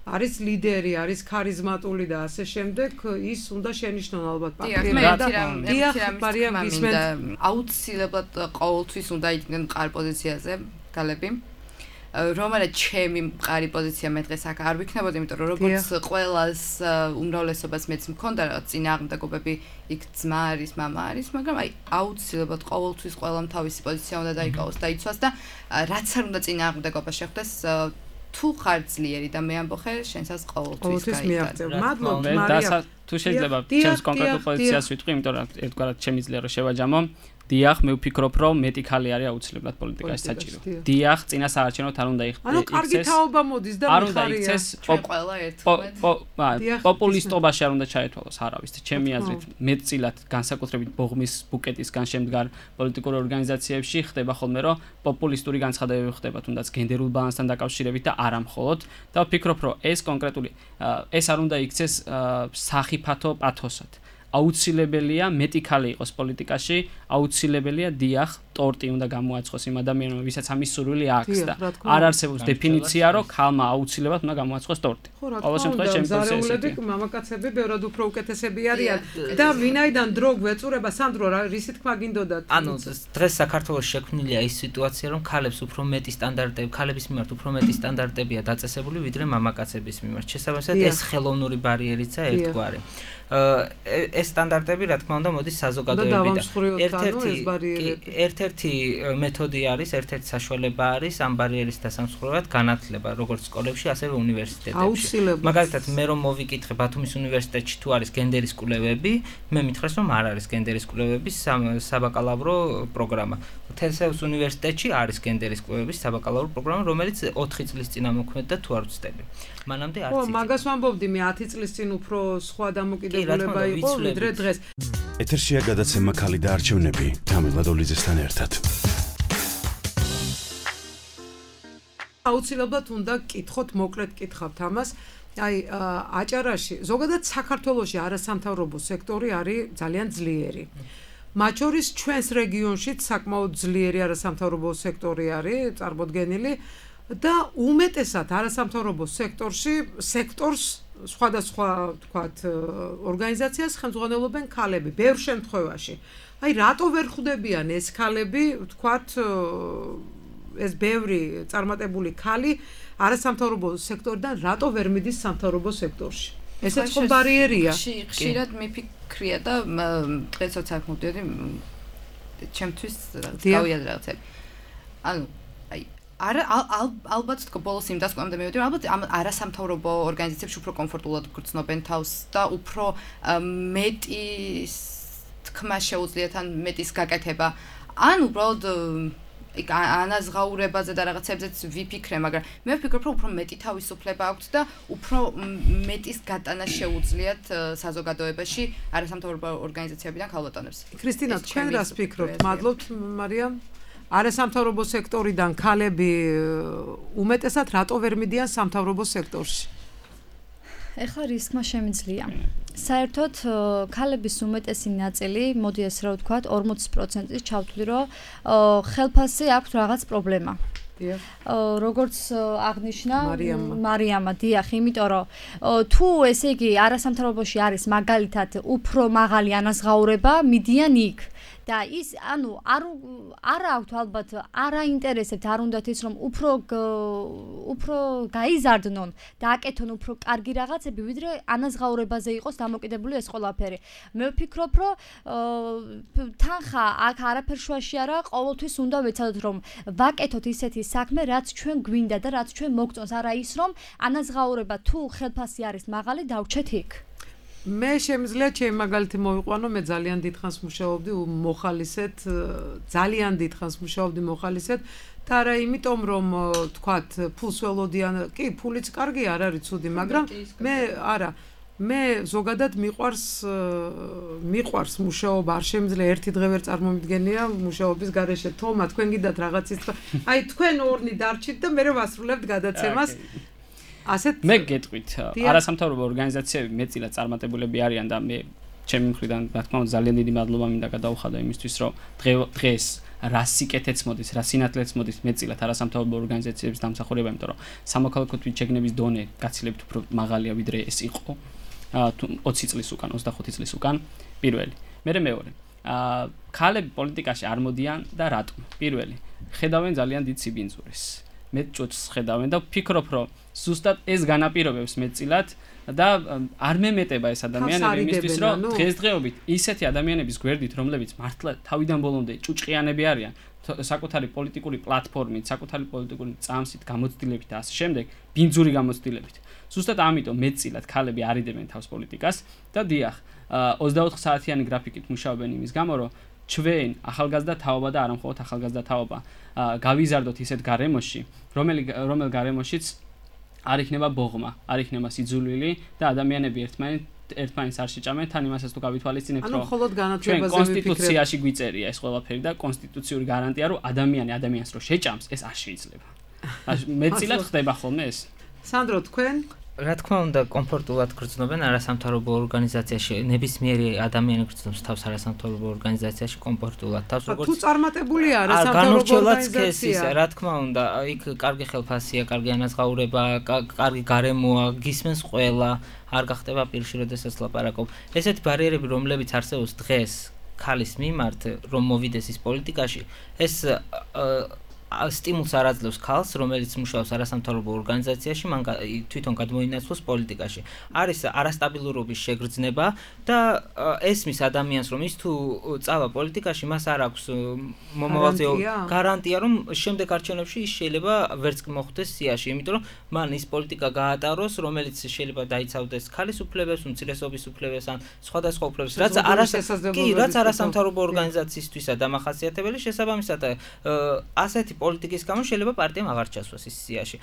არის ლიდერი, არის ქარიზმატული და ასე შემდეგ, ის უნდა შენიშნონ ალბათ პარტიებმა. დიახ, მარიამ გისმენთ. აუცილებლად ყოველთვის უნდა იდგნენ მყარ პოზიციაზე ქალები. რომელაც ჩემი მყარი პოზიცია მე დღეს აქ არ ვიქნებოდი, იმიტომ რომ როგორც ყველას უმრავლესობას მეც მქონდა რაღაც წინააღმდეგობები, იქ ძმა არის, მამა არის, მაგრამ აი აუცილებლად ყოველთვის ყველამ თავისი პოზიცია უნდა დაიკავოს და იცვას და რაც არ უნდა წინააღმდეგობა შეხვდეს, თუ ხარ ძლიერი და მე ამბოხე, შენსაც ყოველთვის გაიწევ. მადლობთ მარიამ. თუ შეიძლება ჩემს კონკრეტულ პოზიციას ვიტყვი, იმიტომ რომ ერთგვარად შემიძლია რომ შევაჯამო. დიახ, მე ვფიქრობ, რომ მეტი ქალი არის აუცილებლად პოლიტიკაში საჭირო. დიახ, წინა საარჩევნოდ არ უნდა იქცეს. ანუ კარგი თაობა მოდის და არ უნდა იქცეს პოპულისტობაში არ უნდა ჩაეთვალოს არავის. ჩემი აზრით, მეტწილად განსაკუთრებით ბოღმის ბუკეტისგან შემდგარ პოლიტიკურ ორგანიზაციებში ხდება ხოლმე, რომ პოპულისტური განცხადებები ხდება, თუნდაც გენდერულ ბალანსთან დაკავშირებით და არა მხოლოდ. და ვფიქრობ, რომ ეს კონკრეტული ეს არ უნდა იქცეს სახიფათო პათოსად. აუცილებელია მეტი ქალი იყოს პოლიტიკაში, აუცილებელია დიახ, ტორტი უნდა გამოაცხოს იმ ადამიანმა, ვისაც ამის სურვილი აქვს და არ არსებობს დეფინიცია, რომ ქალმა აუცილებლად უნდა გამოაცხოს ტორტი. ყოველ შემთხვევაში შემზარეულები მამაკაცები ბევრად უფრო უკეთესები არიან და ვინაიდან დრო გვეწურება სანდრო რისი თქმა გინდოდათ? ანუ დღეს საქართველოს შექმნილია ის სიტუაცია, რომ ქალებს უფრო მეტი სტანდარტები, ქალების მიმართ უფრო მეტი სტანდარტებია დაწესებული, ვიდრე მამაკაცების მიმართ. შესაბამისად, ეს ხელოვნური ბარიერიცაა ერთგვარი. ეს სტანდარტები, რა თქმა უნდა, მოდის საზოგადოებიდან. ერთ-ერთი მეთოდი არის, ერთ-ერთი საშუალება არის ამ ბარიერის დასამსხვრევად განათლება, როგორც სკოლებში, ასევე უნივერსიტეტებში. მაგალითად, მე რომ მოვიკითხე ბათუმის უნივერსიტეტში თუ არის გენდერის კვლევები, მე მითხრეს, რომ არ არის გენდერის კვლევების საბაკალავრო პროგრამა. თესეუს უნივერსიტეტში არის გენდერის კვლევების საბაკალავრო პროგრამა, რომელიც 4 წლის წინ ამოქმედდა თუ არ ვცდები. მანამდე არც იყო. მაგას ვამბობდი მე 10 წლის წინ უფრო სხვა დამოკიდებულება იყო ვიდრე დღეს. ეთერშია გადაცემა ქალი და არჩევნები თამილა დოლიძესთან ერთად. აუცილებლად უნდა კითხოთ, მოკლედ კითხავთ ამას. აი აჭარაში, ზოგადად საქართველოში არასამთავრობო სექტორი არის ძალიან ძლიერი. მათ შორის ჩვენს რეგიონშიც საკმაოდ ძლიერი არასამთავრობო სექტორი არის წარმოდგენილი და უმეტესად არასამთავრობო სექტორს სხვადასხვა თქვათ ორგანიზაციას ხელმძღვანელობენ ქალები ბევრ შემთხვევაში. აი რატო ვერ ხვდებიან ეს ქალები თქვათ ეს ბევრი წარმატებული ქალი არასამთავრობო სექტორიდან რატო ვერ მიდის სამთავრობო სექტორში? ესეც ხო ბარიერია. ხშირად მიფიქრია და დღესაც აქ მოვდიოდი ჩემთვის გავიაზრე რაღაცები. ანუ ალბათ თქო ბოლოს იმ დასკვნამდე მივედი რომ ალბათ ამ არასამთავრობო ორგანიზაციებში უფრო კომფორტულად გრძნობენ თავს და უფრო მეტი თქმა შეუძლიათ ან მეტის გაკეთება ან უბრალოდ ანაზღაურებაზე და რაღაცებზეც ვიფიქრე, მაგრამ მე ვფიქრობ, რომ უფრო მეტი თავისუფლება აქვთ და უფრო მეტის გატანა შეუძლიათ საზოგადოებაში არასამთავრობო ორგანიზაციებიდან ქალბატონებს. ქრისტინა, თქვენ რას ფიქრობთ? მადლობთ, მარიამ. არასამთავრობო სექტორიდან ქალები უმეტესად რატო ვერ მიდიან სამთავრობო სექტორში? ეხლა რისკმა შემიძლია. საერთოდ ქალების უმეტესი ნაწილი, მოდი ეს რა ვთქვათ, 40%-ის ჩავთვლი, რომ ხელფასზე აქვს რაღაც პრობლემა. როგორც აღნიშნა მარიამა, დიახ, იმიტომ რომ თუ ესე იგი არასამთავრობოში არის მაგალითად უფრო მაღალი ანაზღაურება, მიდიან იქ. და ის ანუ არ აქვთ ალბათ არ აინტერესებთ არ უნდათ ის რომ უფრო გაიზარდნონ და აკეთონ უფრო კარგი რაღაცები ვიდრე ანაზღაურებაზე იყოს დამოკიდებული ეს ყველაფერი. მე ვფიქრობ რომ თანხა აქ არაფერ შუაში არა, ყოველთვის უნდა ვეცადოთ რომ ვაკეთოთ ისეთი საქმე რაც ჩვენ გვინდა და რაც ჩვენ მოგწონს, არა ის რომ ანაზღაურება თუ ხელფასი არის მაღალი დავრჩეთ იქ. მე შემიძლია ჩემი მაგალითი მოვიყვანო, მე ძალიან დიდხანს მუშაობდი მოხალისედ, ძალიან დიდხანს მუშაობდი მოხალისედ და არა იმიტომ რომ თქვათ ფულს ველოდიან, კი ფულიც კარგი არ არის ცუდი, მაგრამ მე ზოგადად მიყვარს მუშაობა, არ შემიძლია ერთი დღე ვერ წარმომიდგენია მუშაობის გარეშე. თომა, თქვენ გიდათ რაღაცის აი თქვენ ორნი დარჩით და მე ვასრულებთ გადაცემას. მე გეტყვით, არასამთავრობო ორგანიზაციები მეტწილად წარმატებულები არიან და მე ჩემი მხრიდან რა თქმა უნდა ძალიან დიდი მადლობა მინდა გადაუხადო იმისთვის, რომ დღეს რა სიკეთეც მოდის, რა სინათლეც მოდის მეტწილად არასამთავრობო ორგანიზაციების დამსახურება, იმიტომ რომ სამოქალაქო თვითშეგნების დონე გაცილებით უფრო მაღალია ვიდრე ეს იყო 20 წლის უკან, 25 წლის უკან, პირველი. მეორე. ქალები პოლიტიკაში არ მოდიან და რატომ? პირველი, ხედავენ ძალიან დიდ სიბინძურეს. მე ჭუჭს ხედავენ და ვფიქრობ, რომ ზუსტად ეს განაპირობებს მეტწილად და არ მემეტება ეს ადამიანები იმისთვის, რომ დღესდღეობით ისეთი ადამიანების გვერდით, რომლებიც მართლა თავიდან ბოლომდე ჭუჭყიანები არიან, საკუთარი პოლიტიკური პლატფორმით, საკუთარი პოლიტიკური წამსით, გამოცდილებით და ასე შემდეგ, ბინძური გამოცდილებით. ზუსტად ამიტომ მეტწილად ქალები არიდებენ თავს პოლიტიკას და დიახ, 24 საათიანი გრაფიკით მუშაობენ იმის გამო, რომ ჩვენ ახალგაზრდა თაობა და არა მხოლოდ ახალგაზრდა თაობა გავიზარდოთ ისეთ გარემოში, რომელ გარემოშიც არ იქნება ბოღმა, არ იქნება სიძულვილი და ადამიანები ერთმანეთს არ შეჭამენ, თან იმასაც თუ გავითვალისწინებთ, რომ ჩვენ კონსტიტუციაში გვიწერია ეს ყველაფერი და კონსტიტუციური გარანტია, რომ ადამიანს რო შეჭამს, ეს არ შეიძლება. მეტწილად ხდება ხოლმე ეს. სანდრო, თქვენ რა თქმა უნდა, კომფორტულად გრძნობენ არასამთავრობო ორგანიზაციაში, ნებისმიერი ადამიანი გრძნობს თავს არასამთავრობო ორგანიზაციაში კომფორტულად. თავს როგორც თუ წარმატებულია არასამთავრობო ორგანიზაცია, რა თქმა უნდა, იქ კარგი ხელფასია, კარგი ანაზღაურება, კარგი გარემოა, გისმენს ყველა, არ გახდება პირში, როდესაც ლაპარაკობ. ესეთი ბარიერები, რომლებიც არსებობს დღეს ქალის მიმართ, რომ მოვიდეს ის პოლიტიკაში, ეს სტიმულს არ აძლევს ქალს, რომელიც მუშაობს არასამთავრობო ორგანიზაციაში, მან თვითონ გადმოინაცვლოს პოლიტიკაში. არის არასტაბილურობის შეგრძნება და ესმის ადამიანს, რომ ის თუ წავა პოლიტიკაში, მას არ აქვს მომავალზე გარანტია, რომ შემდეგ არჩევნებში ის შეიძლება ვერც მოხვდეს სიაში, იმიტომ რომ მან ის პოლიტიკა გაატაროს, რომელიც შეიძლება დაიცავდეს ქალის უფლებებს, უმცირესობის უფლებებს ან სხვადასხვა უფლებებს, რაც არასამთავრობო ორგანიზაციისთვისა დამახასიათებელი, შესაბამისად ასეთი პოლიტიკის გამო შეიძლება პარტიამ აღარ ჩასვას ის სიაში.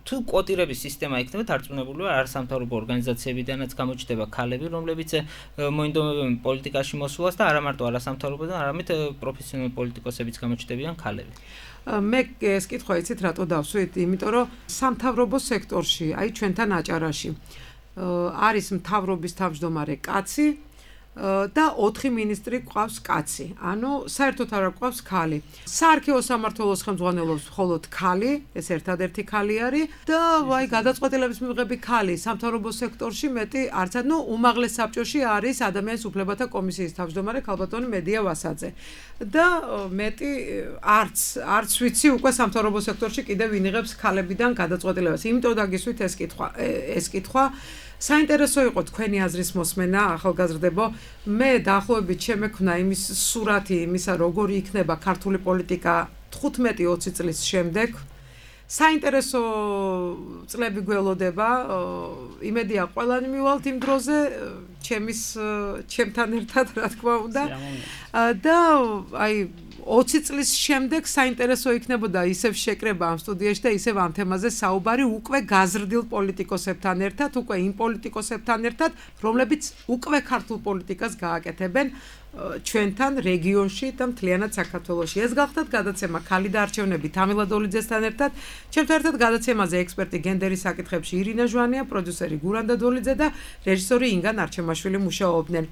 თუ კვოტირების სისტემა იქნება დარწმუნებული ვარ არასამთავრობო ორგანიზაციებიდანაც გამოჩნდება ქალები, რომლებიც მოინდომებენ პოლიტიკაში მოსვლას და არა მარტო არასამთავრობოდან, არამედ პროფესიონალ პოლიტიკოსებიც გამოჩნდებიან ქალები. მე ეს კითხვა იცით რატო დავსვით? იმიტომ რომ სამთავრობო სექტორში, აი ჩვენთან აჭარაში არის მთავრობის თავმჯდომარე კაცი და 4 მინისტრი ყავს კაცი. ანუ საერთოდ არ ყავს ქალი. საარქივო სამმართველოს ხელმძღვანელობს მხოლოდ ქალი, ეს ერთადერთი ქალი არის და ვაი გადაწყვეტილების მიღები ქალი. სამთავრობო სექტორში მეტი არც ანუ უმაღლეს საბჭოში არის ადამიანის უფლებათა კომისიის თავმჯდომარე ქალბატონი მედია ვასაძე. და მეტი არც ვიცი უკვე სამთავრობო სექტორში კიდევ ვინ იღებს ქალებიდან გადაწყვეტილებას. იმიტომ დაგისვით ეს კითხვა საინტერესო იყო თქვენი აზრის მოსმენა ახალგაზრდებო. მე დაახლოებით შემექნა იმის სურათი იმისა როგორი იქნება ქართული პოლიტიკა 15-20 წლის შემდეგ. საინტერესო წლები გველოდება. იმედია ყველანი მივალთ იმ დროზე ჩემთან ერთად რა თქმა უნდა. და აი 20 წლის შემდეგ საინტერესო იქნებოდა ისევ შეკრება ამ სტუდიაში და ისევ ამ თემაზე საუბარი უკვე გაზრდილ პოლიტიკოსებთან ერთად, უკვე იმ პოლიტიკოსებთან ერთად, რომლებიც უკვე ქართულ პოლიტიკას გააკეთებენ ჩვენთან რეგიონში და მთლიანად საქართველოში. ეს გახდათ გადაცემა ქალი და არჩევნები თამილა დოლიძესთან ერთად. ჩემთან ერთად გადაცემაზე ექსპერტი გენდერის საკითხებში ირინა ჟვანია, პროდიუსერი გურანდა დოლიძე და რეჟისორი ინგა ნარჩემაშვილი მუშაობდნენ.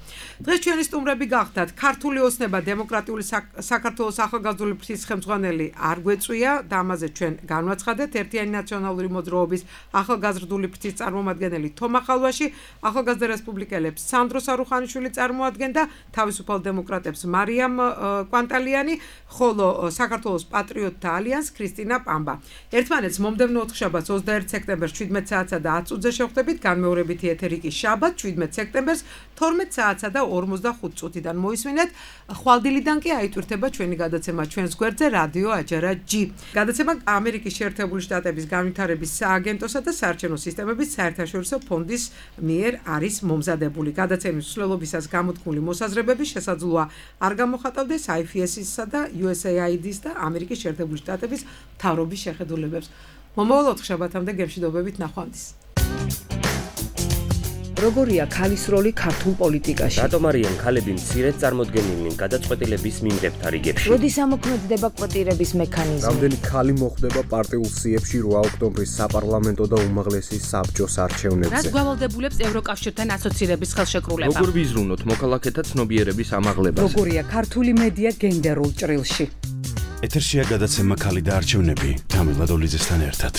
დღეს ჩვენი სტუმრები გახდათ ქართული ოცნება დემოკრატიული საქართველოს ახალგაზრდული ფრთის ხელმძღვანელი არ გვეწვია და ამაზე ჩვენ განვაცხადეთ. ერთიანი ნაციონალური მოძრაობის ახალგაზრდული ფრთის წარმომადგენელი თომა ხალვაში, ახალგაზრდა რესპუბლიკელებს სანდრო სარუხანიშვილი წარმოადგენდა, თავისუფალ დემოკრატებს მარიამ კვანტალიანი, ხოლო საქართველოს პატრიოტთა ალიანს ქრისტინა პამბა. ერთმანეთს მომდევნო ოთხშაბათს 21 სექტემბერს 17 საათსა და 10 წუთზე შევხვდებით, განმეორებითი ეთერი კი შაბათ 17 სექტემბერს 12 საათსა და 45 წუთიდან მოისმინეთ. ხვალდილიდან კი აიტვირთება ჩვენი გადაცემა ჩვენს გვერდზე რადიო აჯარა G. გადაცემა ამერიკის შეერთებული შტატების განვითარების სააგენტოსა და საარჩევნო სისტემების საერთაშორისო ფონდის მიერ არის მომზადებული. გადაცემის მსვლელობისას გამოთქმული მოსაზრებები შესაძლოა არ გამოხატავდეს IFS-ისა და USAID-ის და ამერიკის შეერთებული შტატების მთავრობის შეხედულებებს. მომავალ ოთხშაბათამდე გემშვიდობებით ნახვამდის. როგორია ქალის როლი ქართულ პოლიტიკაში? რატომ არიან ქალები მცირედ წარმოდგენილნი გადაწყვეტილების მიმღებთა რიგებში? როდის ამოქმედდება კვოტირების მექანიზმი? რამდენი ქალი მოხვდება პარტიულ სიებში 8 ოქტომბრის საპარლამენტო და უმაღლესი საბჭოს არჩევნებზე? რაც გვალდებულებს ევროკავშირთან ასოცირების ხელშეკრულება? როგორ ვიზრუნოთ მოქალაქეთა ცნობიერების ამაღლებას? როგორია ქართული მედია გენდერულ ჭრილში? ეთერშია გადაცემა ქალი და არჩევნები თამილა დოლიძესთან ერთად.